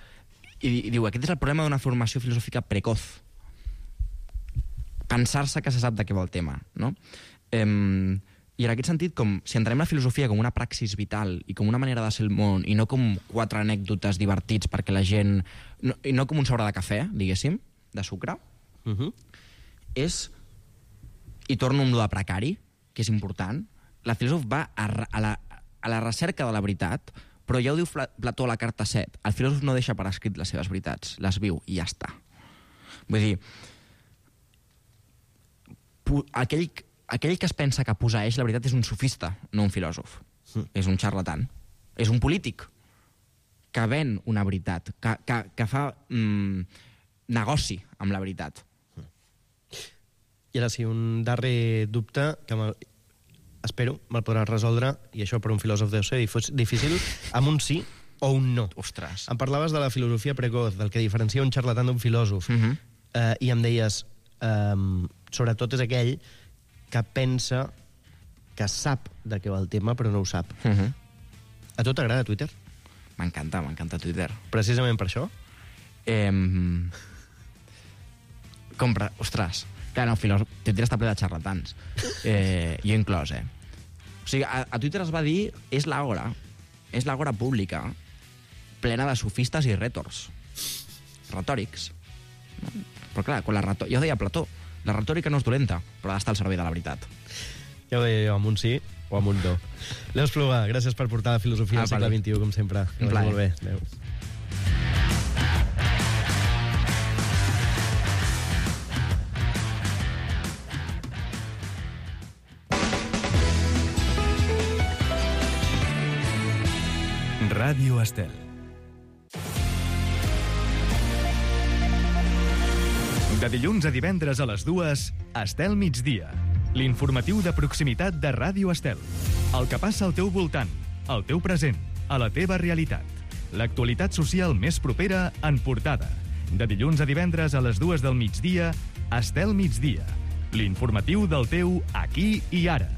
aquest és el problema d'una formació filosòfica precoz. Pensar-se que se sap de què va el tema. No? I en aquest sentit, si entenem la filosofia com una praxis vital i com una manera de ser el món, i no com 4 anècdotes divertits perquè la gent... I no com un sobre de cafè, diguéssim, de sucre, és... I torno amb lo de precari, que és important. La filòsof va a la recerca de la veritat, però ja ho diu Plató a la carta 7. El filòsof no deixa per escrit les seves veritats, les viu i ja està. Vull dir, aquell que es pensa que posseeix la veritat és un sofista, no un filòsof. És un xarlatan. És un polític que ven una veritat, que fa negoci amb la veritat. I ara sí, un darrer dubte que espero me'l podràs resoldre, i això per un filòsof deu ser difícil, amb un sí o un no. Ostres. Em parlaves de la filosofia precoz, del que diferencia un xarlatan d'un filòsof, i em deies, sobretot és aquell que pensa que sap de què va el tema, però no ho sap. A tu t'agrada Twitter? M'encanta Twitter. Precisament per això? Ostres, clar, no, Twitter està ple de xarlatans. Jo inclòs, O sigui, a Twitter es va dir, és l'àgora pública, plena de sofistes i rètors. Retòrics. Però clar, ja ho deia Plató, la retòrica no és dolenta, però ha d'estar al servei de la veritat. Ja ho deia jo, amb un sí o amb un no. Leo Espluga, gràcies per portar la filosofia al segle XXI, com sempre. Que vagi molt bé. Adéu. Ràdio Estel. De dilluns a divendres a les 2, Estel Migdia. L'informatiu de proximitat de Ràdio Estel. El que passa al teu voltant, al teu present, a la teva realitat. L'actualitat social més propera en portada. De dilluns a divendres a les 2 del migdia, Estel Migdia. L'informatiu del teu aquí i ara.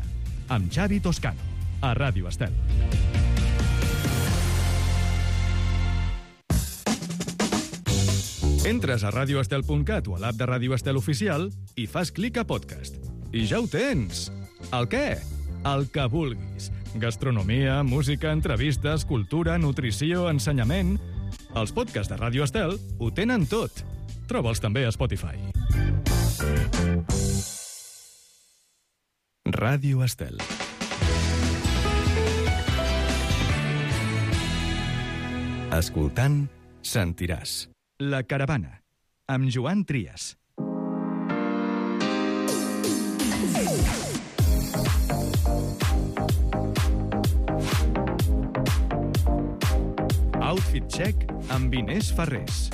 Amb Xavi Toscano, a Ràdio Estel. Entres a radioestel.cat o a l'app de Ràdio Estel Oficial i fas clic a podcast. I ja ho tens! El què? El que vulguis. Gastronomia, música, entrevistes, cultura, nutrició, ensenyament... Els podcasts de Ràdio Estel ho tenen tot. Troba'ls també a Spotify. Ràdio Estel. Escoltant, sentiràs. La Caravana, amb Joan Trias. Check amb Inés Ferrés.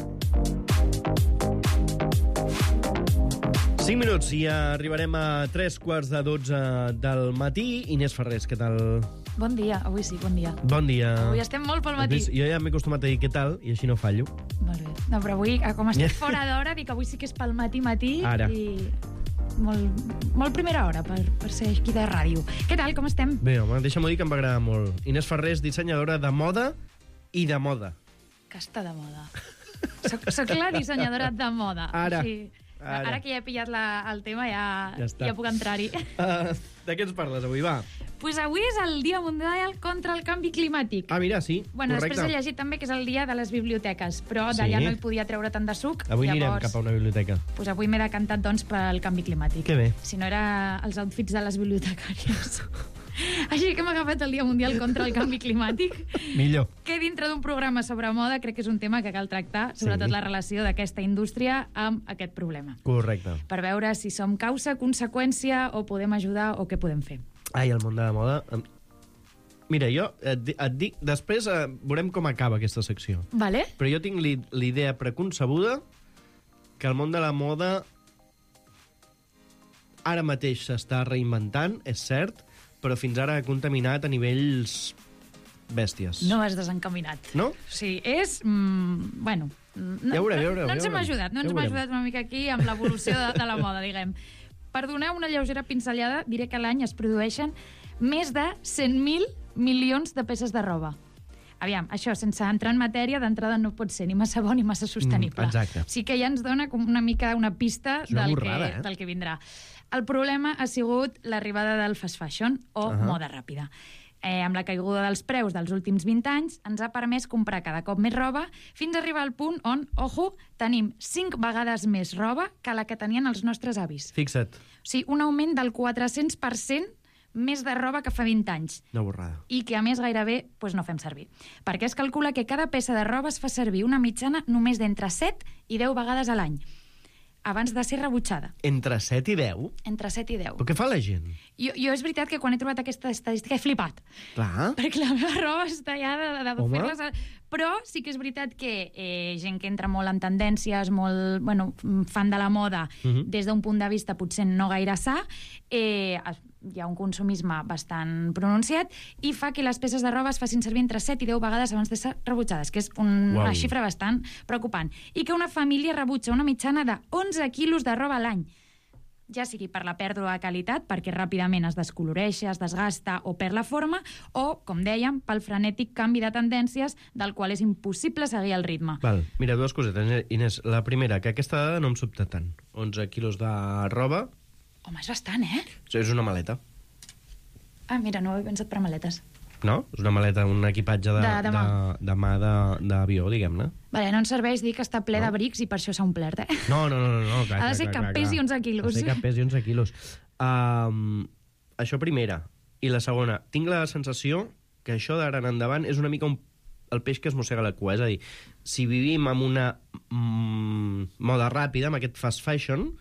5 minuts i arribarem a 3:45 del matí. Inés Ferrés, què tal? Bon dia, avui sí, bon dia. Bon dia. Avui estem molt pel matí. Jo ja m'he acostumat a dir què tal i així no fallo. Molt bé. No, però avui, com estic fora d'hora, dic que avui sí que és pel matí Ara. I molt primera hora per ser aquí de ràdio. Què tal, com estem? Bé, home, deixa'm dir que em va agradar molt. Inés Ferrés, dissenyadora de moda i de moda. Que està de moda. Soc la dissenyadora de moda. Ara. Ara que ja he pillat el tema, ja puc entrar-hi. De què ens parles avui, va? Pues avui és el Dia Mundial contra el Canvi Climàtic. Ah, mira, sí, bueno, correcte. Després he llegit també que és el dia de les biblioteques, però d'allà no hi podia treure tant de suc. Avui anirem cap a una biblioteca. Pues avui m'he decantat, doncs, pel canvi climàtic. Que bé. Si no era els outfits de les bibliotecàries. Així que hem agafat el Dia Mundial contra el Canvi Climàtic. Millor. Que dintre d'un programa sobre moda crec que és un tema que cal tractar, sobretot la relació d'aquesta indústria amb aquest problema. Correcte. Per veure si som causa, conseqüència, o podem ajudar, o què podem fer. Ai, el món de la moda... Mira, jo et dic... Després veurem com acaba aquesta secció. Vale. Però jo tinc l'idea preconcebuda que el món de la moda ara mateix s'està reinventant, és cert, però fins ara ha contaminat a nivells bèsties. No has desencaminat. No? Sí, és... bueno... Ja veureu. No ens hem ajudat una mica aquí amb l'evolució de la moda, diguem. Per donar una lleugera pinzellada, diré que a l'any es produeixen més de 100.000 milions de peces de roba. Aviam, això, sense entrar en matèria, d'entrada no pot ser ni massa bo ni massa sostenible. Exacte. Sí que ja ens dona com una mica una pista del que vindrà. El problema ha sigut l'arribada del fast fashion, o moda ràpida. Amb la caiguda dels preus dels últims 20 anys, ens ha permès comprar cada cop més roba fins a arribar al punt on, ojo, tenim 5 vegades més roba que la que tenien els nostres avis. Fixa't. O sigui, un augment del 400% més de roba que fa 20 anys. Una borrada. I que, a més, gairebé no fem servir. Perquè es calcula que cada peça de roba es fa servir una mitjana només d'entre 7 i 10 vegades a l'any, abans de ser rebutjada. Entre 7 i 10? Entre 7 i 10. Però què fa la gent? Jo és veritat que quan he trobat aquesta estadística he flipat. Clar. Perquè la meva roba està ja de fer-les... Però sí que és veritat que gent que entra molt en tendències, molt fan de la moda, des d'un punt de vista potser no gaire sa, hi ha un consumisme bastant pronunciat i fa que les peces de roba es facin servir entre 7 i 10 vegades abans de ser rebutjades, que és una xifra bastant preocupant. I que una família rebutja una mitjana de 11 quilos de roba a l'any, ja sigui per la pèrdua de qualitat, perquè ràpidament es descoloreix, es desgasta o perd la forma, o, com dèiem, pel frenètic canvi de tendències del qual és impossible seguir el ritme. Val. Mira, dues cosetes, Inés. La primera, que aquesta dada no em sobta tant. 11 quilos de roba... Home, és bastant, eh? És una maleta. Ah, mira, no ho he pensat per maletes. No? És una maleta, un equipatge de mà d'avió, diguem-ne. Vale, no ens serveix dir que està ple d'abrics i per això s'ha omplert, eh? No. Clar, ha de ser que pesi 11 quilos. Ha de ser que pesi 11 quilos. Això primera. I la segona, tinc la sensació que això d'ara en endavant és una mica el peix que es mossega la cua. És a dir, si vivim amb una moda ràpida, amb aquest fast fashion,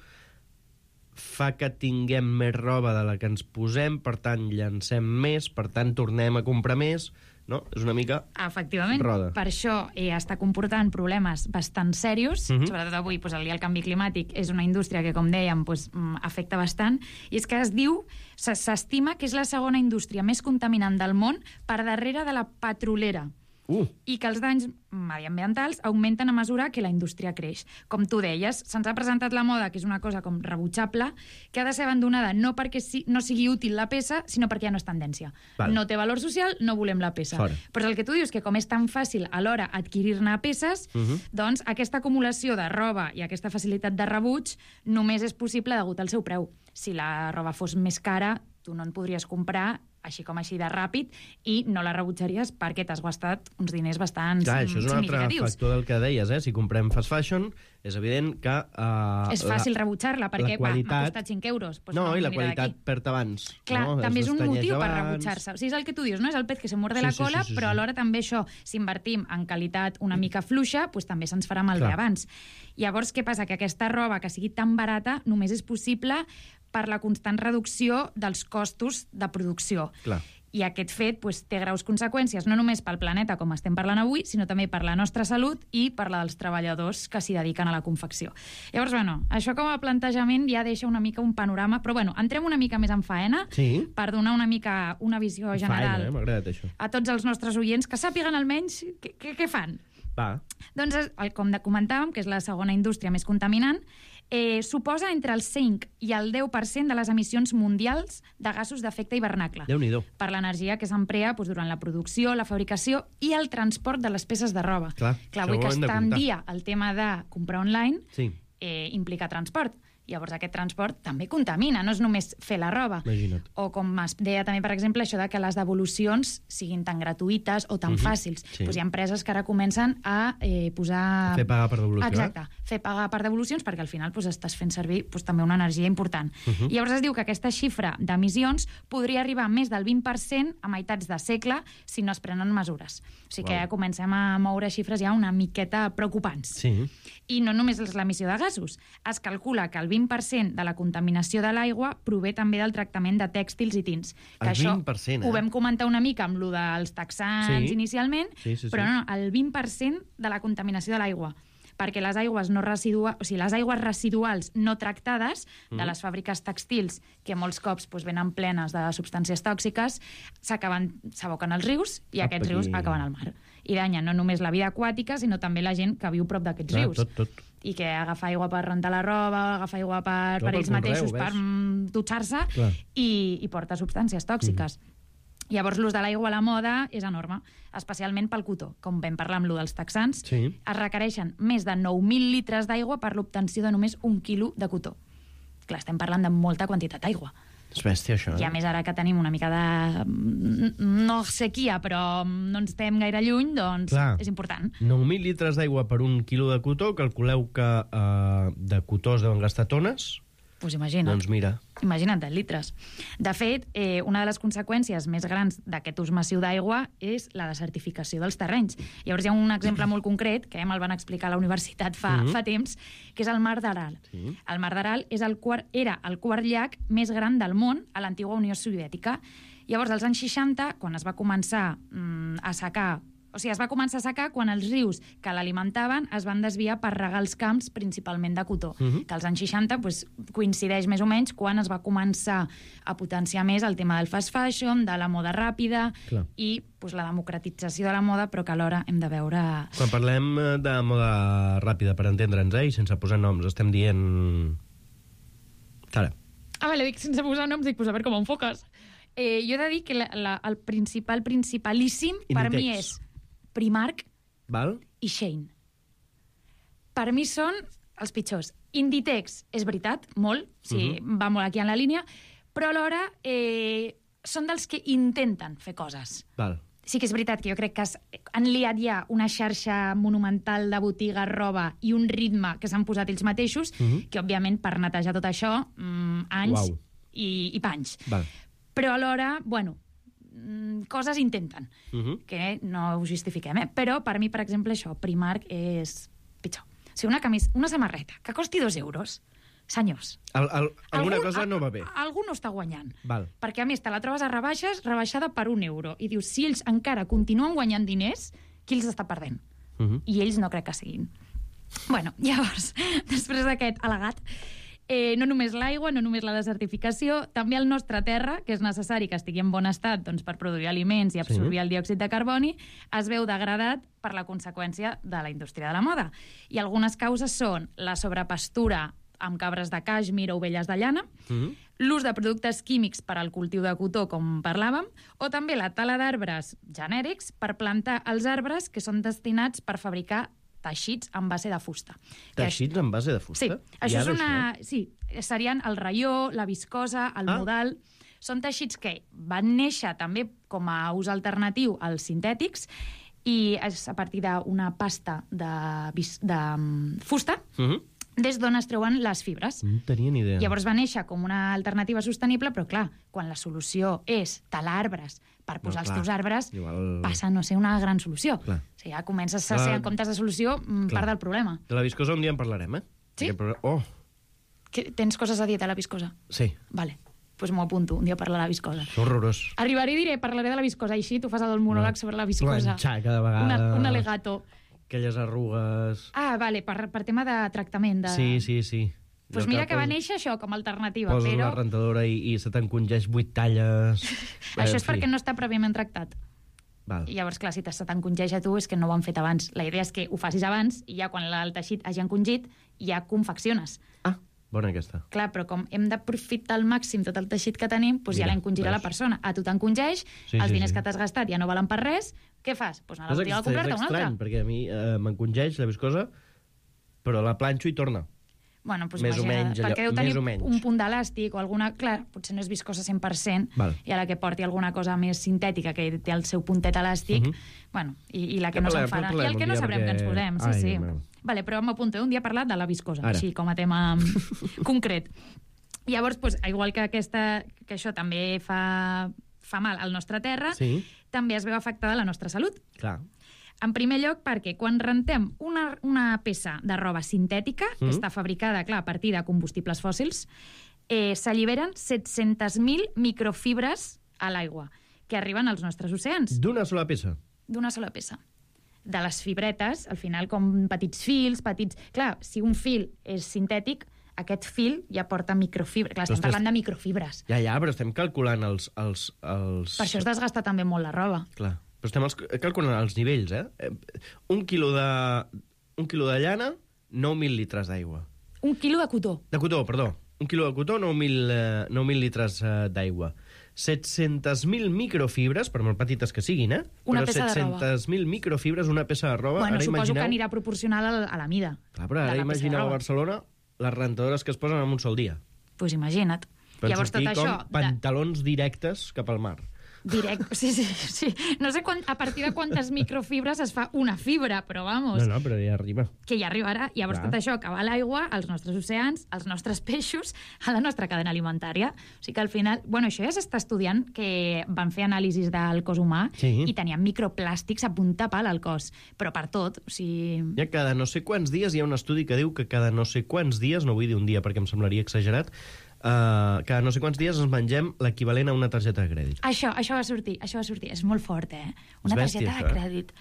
fa que tinguem més roba de la que ens posem, per tant, llancem més, per tant, tornem a comprar més, no? És una mica efectivament, roda. Per això està comportant problemes bastant serios, sobretot avui, el canvi climàtic és una indústria que, com dèiem, afecta bastant, i és que s'estima que és la segona indústria més contaminant del món per darrere de la petrolera. I que els danys mediambientals augmenten a mesura que la indústria creix. Com tu deies, se'ns ha presentat la moda, que és una cosa com rebutjable, que ha de ser abandonada no perquè no sigui útil la peça, sinó perquè ja no és tendència. Val. No té valor social, no volem la peça. Fora. Però el que tu dius, que com és tan fàcil alhora adquirir-ne peces, doncs aquesta acumulació de roba i aquesta facilitat de rebuig només és possible degut al seu preu. Si la roba fos més cara, tu no en podries comprar així com així de ràpid, i no la rebutjaries perquè t'has gastat uns diners bastant significatius. Això és un altre factor del que deies, Si comprem fast fashion, és evident que... és fàcil rebutjar-la, perquè m'ha costat 5 euros. No, i la qualitat perd abans. Clar, també és un motiu per rebutjar-se. O sigui, és el que tu dius, no? És el pet que se muerde la cola, però alhora també això, si invertim en qualitat una mica fluixa, també se'ns farà malbé abans. Llavors, què passa? Que aquesta roba que sigui tan barata només és possible per la constant reducció dels costos de producció. Clar. I aquest fet té graus conseqüències, no només pel planeta, com estem parlant avui, sinó també per la nostra salut i per la dels treballadors que s'hi dediquen a la confecció. Llavors, això com a plantejament ja deixa una mica un panorama, però entrem una mica més en faena per donar una mica una visió general m'ha agradat això. a tots els nostres oients, que sàpiguen almenys què fan. Va. Doncs, com comentàvem, que és la segona indústria més contaminant, suposa entre el 5 i el 10% de les emissions mundials de gasos d'efecte hivernacle. Déu-n'hi-do. Per l'energia que s'emplea durant la producció, la fabricació i el transport de les peces de roba. Clar, avui que està en dia el tema de comprar online implica transport. Llavors aquest transport també contamina, no és només fer la roba. Imagina't. O com es deia també, per exemple, això de que les devolucions siguin tan gratuïtes o tan fàcils. Hi ha empreses que ara comencen a posar... Fer pagar per devolució. Exacte, fer pagar per devolucions, perquè al final estàs fent servir també una energia important. I llavors es diu que aquesta xifra d'emissions podria arribar a més del 20% a meitats de segle si no es prenen mesures. O sigui que ja comencem a moure xifres ja una miqueta preocupants. Sí. I no només és l'emissió de gasos. Es calcula que el 20% de la contaminació de l'aigua prové també del tractament de tèxtils i tints. El 20%, ho vam comentar una mica amb lo dels texans inicialment, però no, el 20% de la contaminació de l'aigua. Perquè les aigües les aigües residuals no tractades de les fàbriques tèxtils, que molts cops venen plenes de substàncies tòxiques, s'aboquen als rius i aquests rius acaben al mar. I danyen no només la vida aquàtica, sinó també la gent que viu prop d'aquests rius. Tot. I que agafa aigua per rentar la roba, agafa aigua per ells mateixos, per dutxar-se, i porta substàncies tòxiques. Llavors, l'ús de l'aigua a la moda és enorme, especialment pel cotó. Com vam parlar amb l'ús dels texans, es requereixen més de 9.000 litres d'aigua per l'obtenció de només 1 quilo de cotó. Clar, estem parlant de molta quantitat d'aigua. És bèstia, això, I a més, ara que tenim una mica de... no sequia, però no ens estem gaire lluny, doncs és important. 9.000 litres d'aigua per 1 quilo de cotó, calculeu que de cotó es deuen gastar tones. Doncs imagina't. Doncs mira. Imagina't, litres. De fet, una de les conseqüències més grans d'aquest ús massiu d'aigua és la desertificació dels terrenys. Llavors hi ha un exemple molt concret, que me'l van explicar a la universitat fa temps, que és el Mar d'Aral. El Mar d'Aral era el quart llac més gran del món a l'antiga Unió Soviètica. Llavors, als anys 60, quan es va començar a secar... es va començar a secar quan els rius que l'alimentaven es van desviar per regar els camps, principalment de cotó. Que als anys 60 coincideix més o menys quan es va començar a potenciar més el tema del fast fashion, de la moda ràpida i la democratització de la moda, però que alhora hem de veure... Quan parlem de moda ràpida, per entendre'ns, i sense posar noms, estem dient... Sara. Dic sense posar noms, dic, a veure com ho enfoques. Jo he de dir que el principalíssim per mi és Primark i Shein. Per mi són els pitjors. Inditex, és veritat, molt, va molt aquí en la línia, però alhora són dels que intenten fer coses. Sí que és veritat que jo crec que han liat ja una xarxa monumental de botigues, roba i un ritme que s'han posat ells mateixos, que, òbviament, per netejar tot això, anys i panys. Però alhora, coses intenten, que no ho justifiquem, però per mi, per exemple, això, Primark és pitjor. O sigui, una samarreta que costi 2 euros, senyors... Alguna cosa no va bé. Algú no està guanyant. Perquè, a més, te la trobes a rebaixes, rebaixada per 1 euro. I dius, si ells encara continuen guanyant diners, qui els està perdent? I ells no crec que siguin. Llavors, després d'aquest al·legat, no només l'aigua, no només la desertificació, també el nostre terra, que és necessari que estigui en bon estat per produir aliments i absorbir el diòxid de carboni, es veu degradat per la conseqüència de la indústria de la moda. I algunes causes són la sobrepastura amb cabres de càixmir o ovelles de llana, l'ús de productes químics per al cultiu de cotó, com parlàvem, o també la tala d'arbres genèrics per plantar els arbres que són destinats per fabricar teixits en base de fusta. Teixits en base de fusta? Sí, això és Sí, serien el raió, la viscosa, el modal... Són teixits que van néixer també com a ús alternatiu als sintètics i és a partir d'una pasta de fusta des d'on es treuen les fibres. No tenia ni idea. Llavors va néixer com una alternativa sostenible, però clar, quan la solució és talar arbres per posar els teus arbres, passa a no ser una gran solució. O sigui, ja comences a ser, en comptes de solució, part del problema. De la viscosa un dia en parlarem, Sí? Tens coses a dir de la viscosa? Sí. Vale. Doncs m'ho apunto, un dia parlar de la viscosa. És horrorós. Arribaré i diré, parlaré de la viscosa, així tu fas el monòleg sobre la viscosa. Planxar cada vegada. Un alegato. Aquelles arrugues... Vale, per tema de tractament. Sí. Doncs mira que va néixer això com a alternativa, poses però... una rentadora i se t'encongeix 8 talles... Això és perquè no està prèviament tractat. Val. I llavors, clar, si se t'encongeja a tu és que no ho han fet abans. La idea és que ho facis abans i ja quan el teixit hagi encongit ja confecciones. Bona aquesta. Clar, però com hem d'aprofitar al màxim tot el teixit que tenim, doncs ja l'encongirà la persona. A tu t'encongeix, els diners que t'has gastat ja no valen per res, què fas? Doncs anar a la botiga a comprar-te una altra. És estrany, perquè a mi m'encongeix la viscosa, però la planxo i torna. Bueno, doncs imagina't, perquè deu tenir un punt d'elàstic o alguna... Clar, potser no és viscosa 100%, i a la que porti alguna cosa més sintètica, que té el seu puntet elàstic, bueno, i la que no se'n farà. I el que no sabrem que ens posem, sí. Vale, però m'apunto un dia a parlar de la viscosa, així com a tema concret. Llavors, igual que això també fa mal al nostre terra, també es veu afectada la nostra salut. Clar. En primer lloc, perquè quan rentem una peça de roba sintètica, que està fabricada, clar, a partir de combustibles fòssils, s'alliberen 700.000 microfibres a l'aigua, que arriben als nostres oceans. D'una sola peça? D'una sola peça. De les fibretes, al final, com petits fils, petits... Clar, si un fil és sintètic, aquest fil ja porta microfibres. Clar, estem parlant de microfibres. Ja, però estem calculant els... Per això es desgasta també molt la roba. Clar, però estem calculant els nivells, Un quilo de llana, 9.000 litres d'aigua. Un quilo de cotó. De cotó, perdó. Un quilo de cotó, 9.000 litres d'aigua. 700.000 microfibres, per molt petites que siguin, una peça de roba. 700.000 microfibres, una peça de roba. Bueno, suposo que anirà proporcional a la mida. Clar, però ara imagineu a Barcelona les rentadores que es posen en un sol dia. Doncs imagina't. Per sortir com pantalons directes cap al mar. Sí. No sé a partir de quantes microfibres es fa una fibra, però vamos. No, però ja arriba. Que ja arribarà. Llavors tot això acaba a l'aigua, als nostres oceans, als nostres peixos, a la nostra cadena alimentària. O sigui que al final... Bueno, això ja s'està estudiant, que van fer anàlisis del cos humà i tenien microplàstics a punta pal al cos. Però per tot, o sigui... Ja cada no sé quants dies hi ha un estudi que diu que cada no sé quants dies, no vull dir un dia perquè em semblaria exagerat, cada no sé quants dies ens mengem l'equivalent a una targeta de crèdit. Això va sortir. És molt fort, Una targeta de crèdit.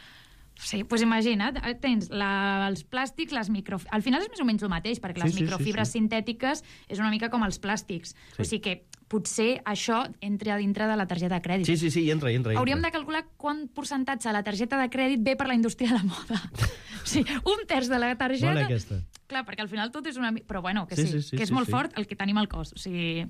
Sí, doncs imagina't, tens els plàstics, les microfibres... Al final és més o menys el mateix, perquè les microfibres sintètiques és una mica com els plàstics. O sigui que potser això entra a dintre de la targeta de crèdit. Sí, hi entra. Hauríem de calcular quant percentatge de la targeta de crèdit ve per la indústria de la moda. O sigui, 1/3 de la targeta... Bona aquesta. Clar, perquè al final tot és una... Però bueno, que que és molt fort el que tenim al cos. O sigui...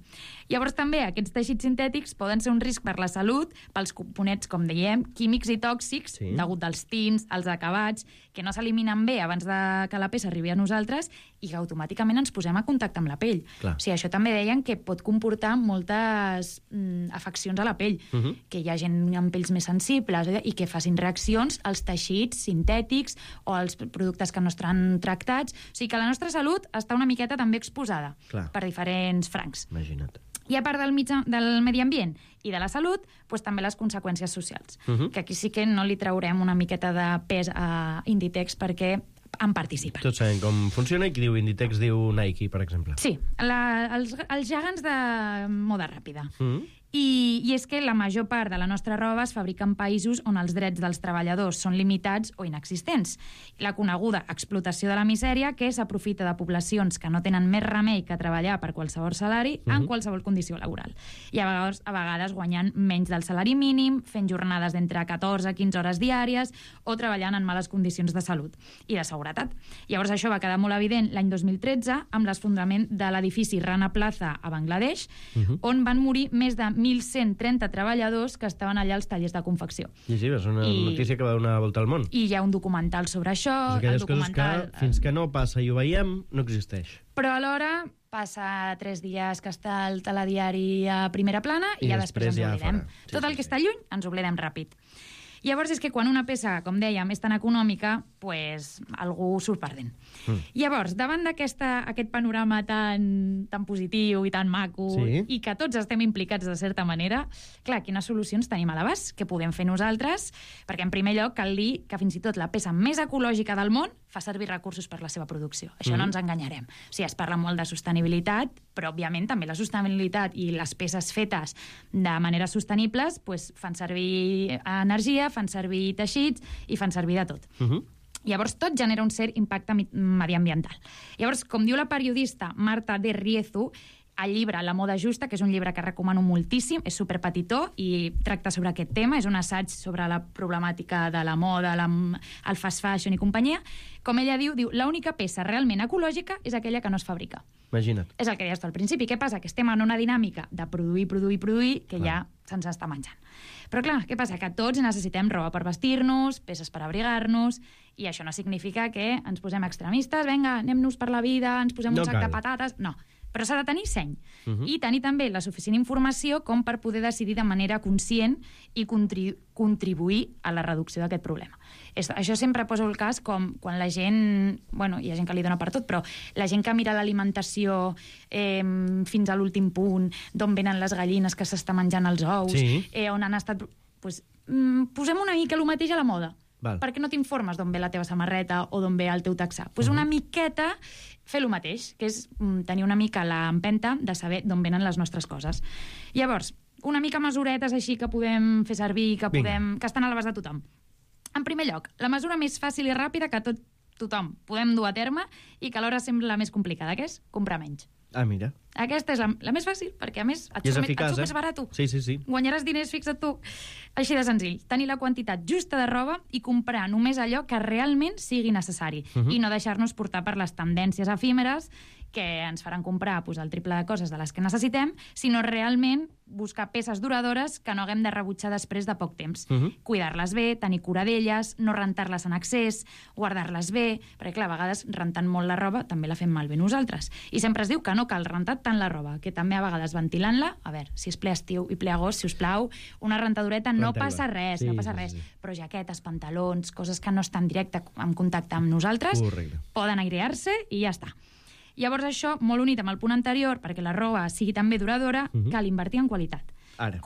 Llavors també aquests teixits sintètics poden ser un risc per la salut, pels components, com dèiem, químics i tòxics, degut als tints, als acabats, que no s'eliminen bé abans de que la peça arribi a nosaltres i que automàticament ens posem a contacte amb la pell. Clar. O sigui, això també deien que pot comportar moltes afeccions a la pell, que hi ha gent amb pells més sensibles i que facin reaccions als teixits sintètics o als productes que no estan tractats. O sigui que la nostra salut està una miqueta també exposada per diferents francs. Imagina't. I a part del medi ambient i de la salut, doncs també les conseqüències socials. Que aquí sí que no li traurem una miqueta de pes a Inditex perquè en participen. Tots sabem com funciona i qui diu Inditex diu Nike, per exemple. Sí, els gegants de moda ràpida. I és que la major part de la nostra roba es fabrica en països on els drets dels treballadors són limitats o inexistents. La coneguda explotació de la misèria, que s'aprofita de poblacions que no tenen més remei que treballar per qualsevol salari en qualsevol condició laboral. I a vegades guanyant menys del salari mínim, fent jornades d'entre 14 a 15 hores diàries o treballant en males condicions de salut i de seguretat. Llavors això va quedar molt evident l'any 2013 amb l'esfondrament de l'edifici Rana Plaza a Bangladesh, on van morir més de 1.130 treballadors que estaven allà als tallers de confecció. Sí, és una notícia que va donar volta al món. I hi ha un documental sobre això. Aquelles coses que fins que no passa i ho veiem, no existeix. Però alhora passa 3 dies que està el telediari a primera plana i ja després ens oblidem. Tot el que està lluny ens oblidem ràpid. Llavors és que quan una peça, com dèiem, és tan econòmica, pues, algú surt perdent. Llavors, davant d'aquest panorama tan positiu i tan maco, i que tots estem implicats de certa manera, clar, quines solucions tenim a l'abast? Què podem fer nosaltres? Perquè, en primer lloc, cal dir que fins i tot la peça més ecològica del món fa servir recursos per la seva producció. Això no ens enganyarem. O sigui, es parla molt de sostenibilitat, però, òbviament, també la sostenibilitat i les peces fetes de manera sostenibles pues, fan servir energia, fan servir teixits i fan servir de tot. Llavors, tot genera un cert impacte mediambiental. Llavors, com diu la periodista Marta de Riezu, el llibre La moda justa, que és un llibre que recomano moltíssim, és superpetitó i tracta sobre aquest tema, és un assaig sobre la problemàtica de la moda, el fast fashion i companyia. Com ella diu, l'única peça realment ecològica és aquella que no es fabrica. Imagina't. És el que deies tu al principi. Què passa? Que estem en una dinàmica de produir, que ja se'ns està menjant. Però clar, què passa? Que tots necessitem roba per vestir-nos, peces per abrigar-nos, i això no significa que ens posem extremistes, vinga, anem-nos per la vida, ens posem un sac de patates... No, però s'ha de tenir seny i tenir també la suficient informació com per poder decidir de manera conscient i contribuir a la reducció d'aquest problema. Això sempre poso el cas com quan la gent... Bueno, hi ha gent que li dona per tot, però la gent que mira l'alimentació fins a l'últim punt, d'on venen les gallines que s'està menjant els ous, on han estat... Pues, posem una mica el mateix a la moda. Perquè no t'informes d'on ve la teva samarreta o d'on ve el teu taxà. Pues una miqueta fer el mateix, que és tenir una mica l'empenta de saber d'on venen les nostres coses. Llavors, una mica mesuretes així que podem fer servir, que estan a l'abast de tothom. En primer lloc, la mesura més fàcil i ràpida que tothom podem dur a terme i que alhora sembla la més complicada, que és comprar menys. Ah, mira. Aquesta és la més fàcil, perquè a més et surt més barat. Sí. Guanyaràs diners, fixa't tu. Així de senzill. Tenir la quantitat justa de roba i comprar només allò que realment sigui necessari i no deixar-nos portar per les tendències efímeres que ens faran comprar el triple de coses de les que necessitem, sinó realment buscar peces duradores que no haguem de rebutjar després de poc temps. Cuidar-les bé, tenir cura d'elles, no rentar-les en excés, guardar-les bé, perquè clar, a vegades rentant molt la roba també la fem malbé nosaltres. I sempre es diu que no cal rentar tant la roba, que també a vegades ventilant-la, a veure, si és ple estiu i ple agost, si us plau, una rentadureta no passa res, però jaquetes, pantalons, coses que no estan directe en contacte amb nosaltres, poden airear-se i ja està. Llavors això, molt unit amb el punt anterior, perquè la roba sigui també duradora, cal invertir en qualitat.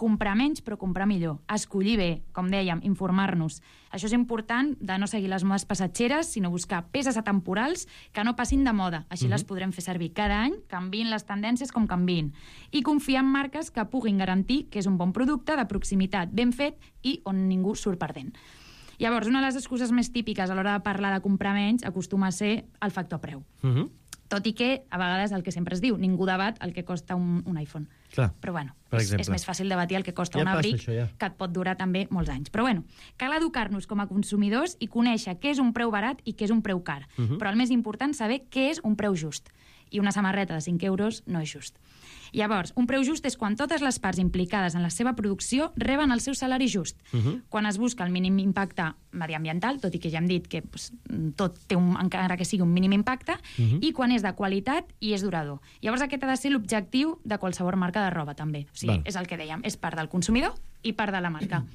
Comprar menys, però comprar millor. Escollir bé, com dèiem, informar-nos. Això és important de no seguir les modes passatgeres, sinó buscar peces atemporals que no passin de moda. Així les podrem fer servir cada any, canviïn les tendències com canviïn. I confiar en marques que puguin garantir que és un bon producte, de proximitat, ben fet i on ningú surt perdent. Llavors, una de les excuses més típiques a l'hora de parlar de comprar menys acostuma a ser el factor preu. Tot i que, a vegades, el que sempre es diu, ningú debat el que costa un iPhone. Però, bueno, és més fàcil debatir el que costa un abric, que et pot durar també molts anys. Però, bueno, cal educar-nos com a consumidors i conèixer què és un preu barat i què és un preu car. Però el més important, saber què és un preu just. I una samarreta de 5 euros no és just. Llavors, un preu just és quan totes les parts implicades en la seva producció reben el seu salari just. Quan es busca el mínim impacte mediambiental, tot i que ja hem dit que tot té, encara que sigui un mínim impacte, i quan és de qualitat i és durador. Llavors aquest ha de ser l'objectiu de qualsevol marca de roba, també. O sigui, és el que dèiem, és part del consumidor i part de la marca.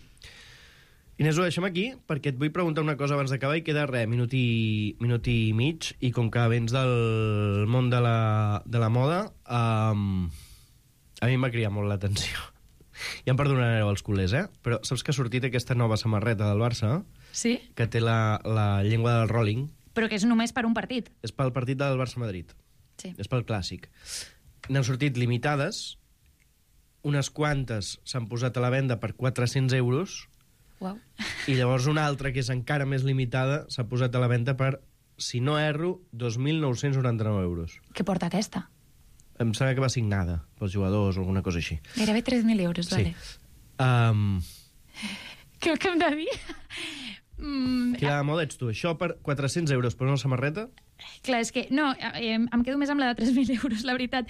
Inés, ho deixem aquí, perquè et vull preguntar una cosa abans d'acabar i queda minut i mig, i com que vens del món de la moda, a mi em va cridar molt l'atenció. Ja em perdonareu els culers, però saps que ha sortit aquesta nova samarreta del Barça? Sí. Que té la llengua del Rolling. Però que és només per un partit. És pel partit del Barça-Madrid. Sí. És pel clàssic. N'han sortit limitades, unes quantes s'han posat a la venda per 400 euros, i llavors una altra, que és encara més limitada, s'ha posat a la venda per, si no erro, 2.999 euros. Què porta aquesta? Em sembla que va signada pels jugadors o alguna cosa així. Gairebé 3.000 euros, vale. Què hem de dir? Quina moda ets tu? Això per 400 euros per una samarreta? Clar, és que... No, em quedo més amb la de 3.000 euros, la veritat.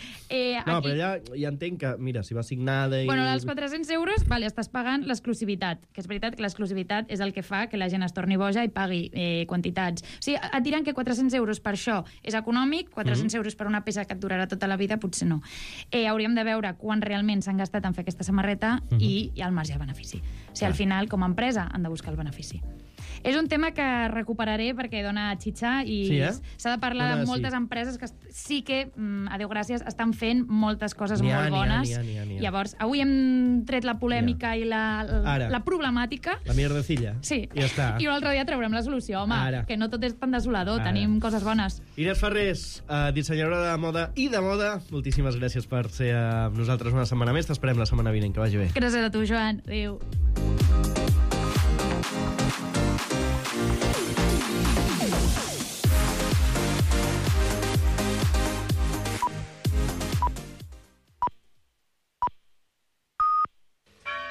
No, però ja entenc que, mira, si va signada... Bueno, als 400 euros, vale, estàs pagant l'exclusivitat, que és veritat que l'exclusivitat és el que fa que la gent es torni boja i pagui quantitats. O sigui, et diran que 400 euros per això és econòmic, 400 euros per una peça que et durarà tota la vida, potser no. Hauríem de veure quan realment s'han gastat en fer aquesta samarreta i el marge de benefici. O sigui, al final, com a empresa, han de buscar el benefici. És un tema que recuperaré perquè dona xitxa i s'ha de parlar de moltes empreses que sí que, a Déu gràcies, estan fent moltes coses molt bones. Llavors, avui hem tret la polèmica i la problemàtica. La mierdecilla. Sí. I ja està. I un altre dia traurem la solució, home, que no tot és tan desolador, tenim coses bones. Inés Ferrés, dissenyadora de moda i de moda, moltíssimes gràcies per ser amb nosaltres una setmana més. T'esperem la setmana vinent, que vagi bé. Gràcies a tu, Joan. Adéu.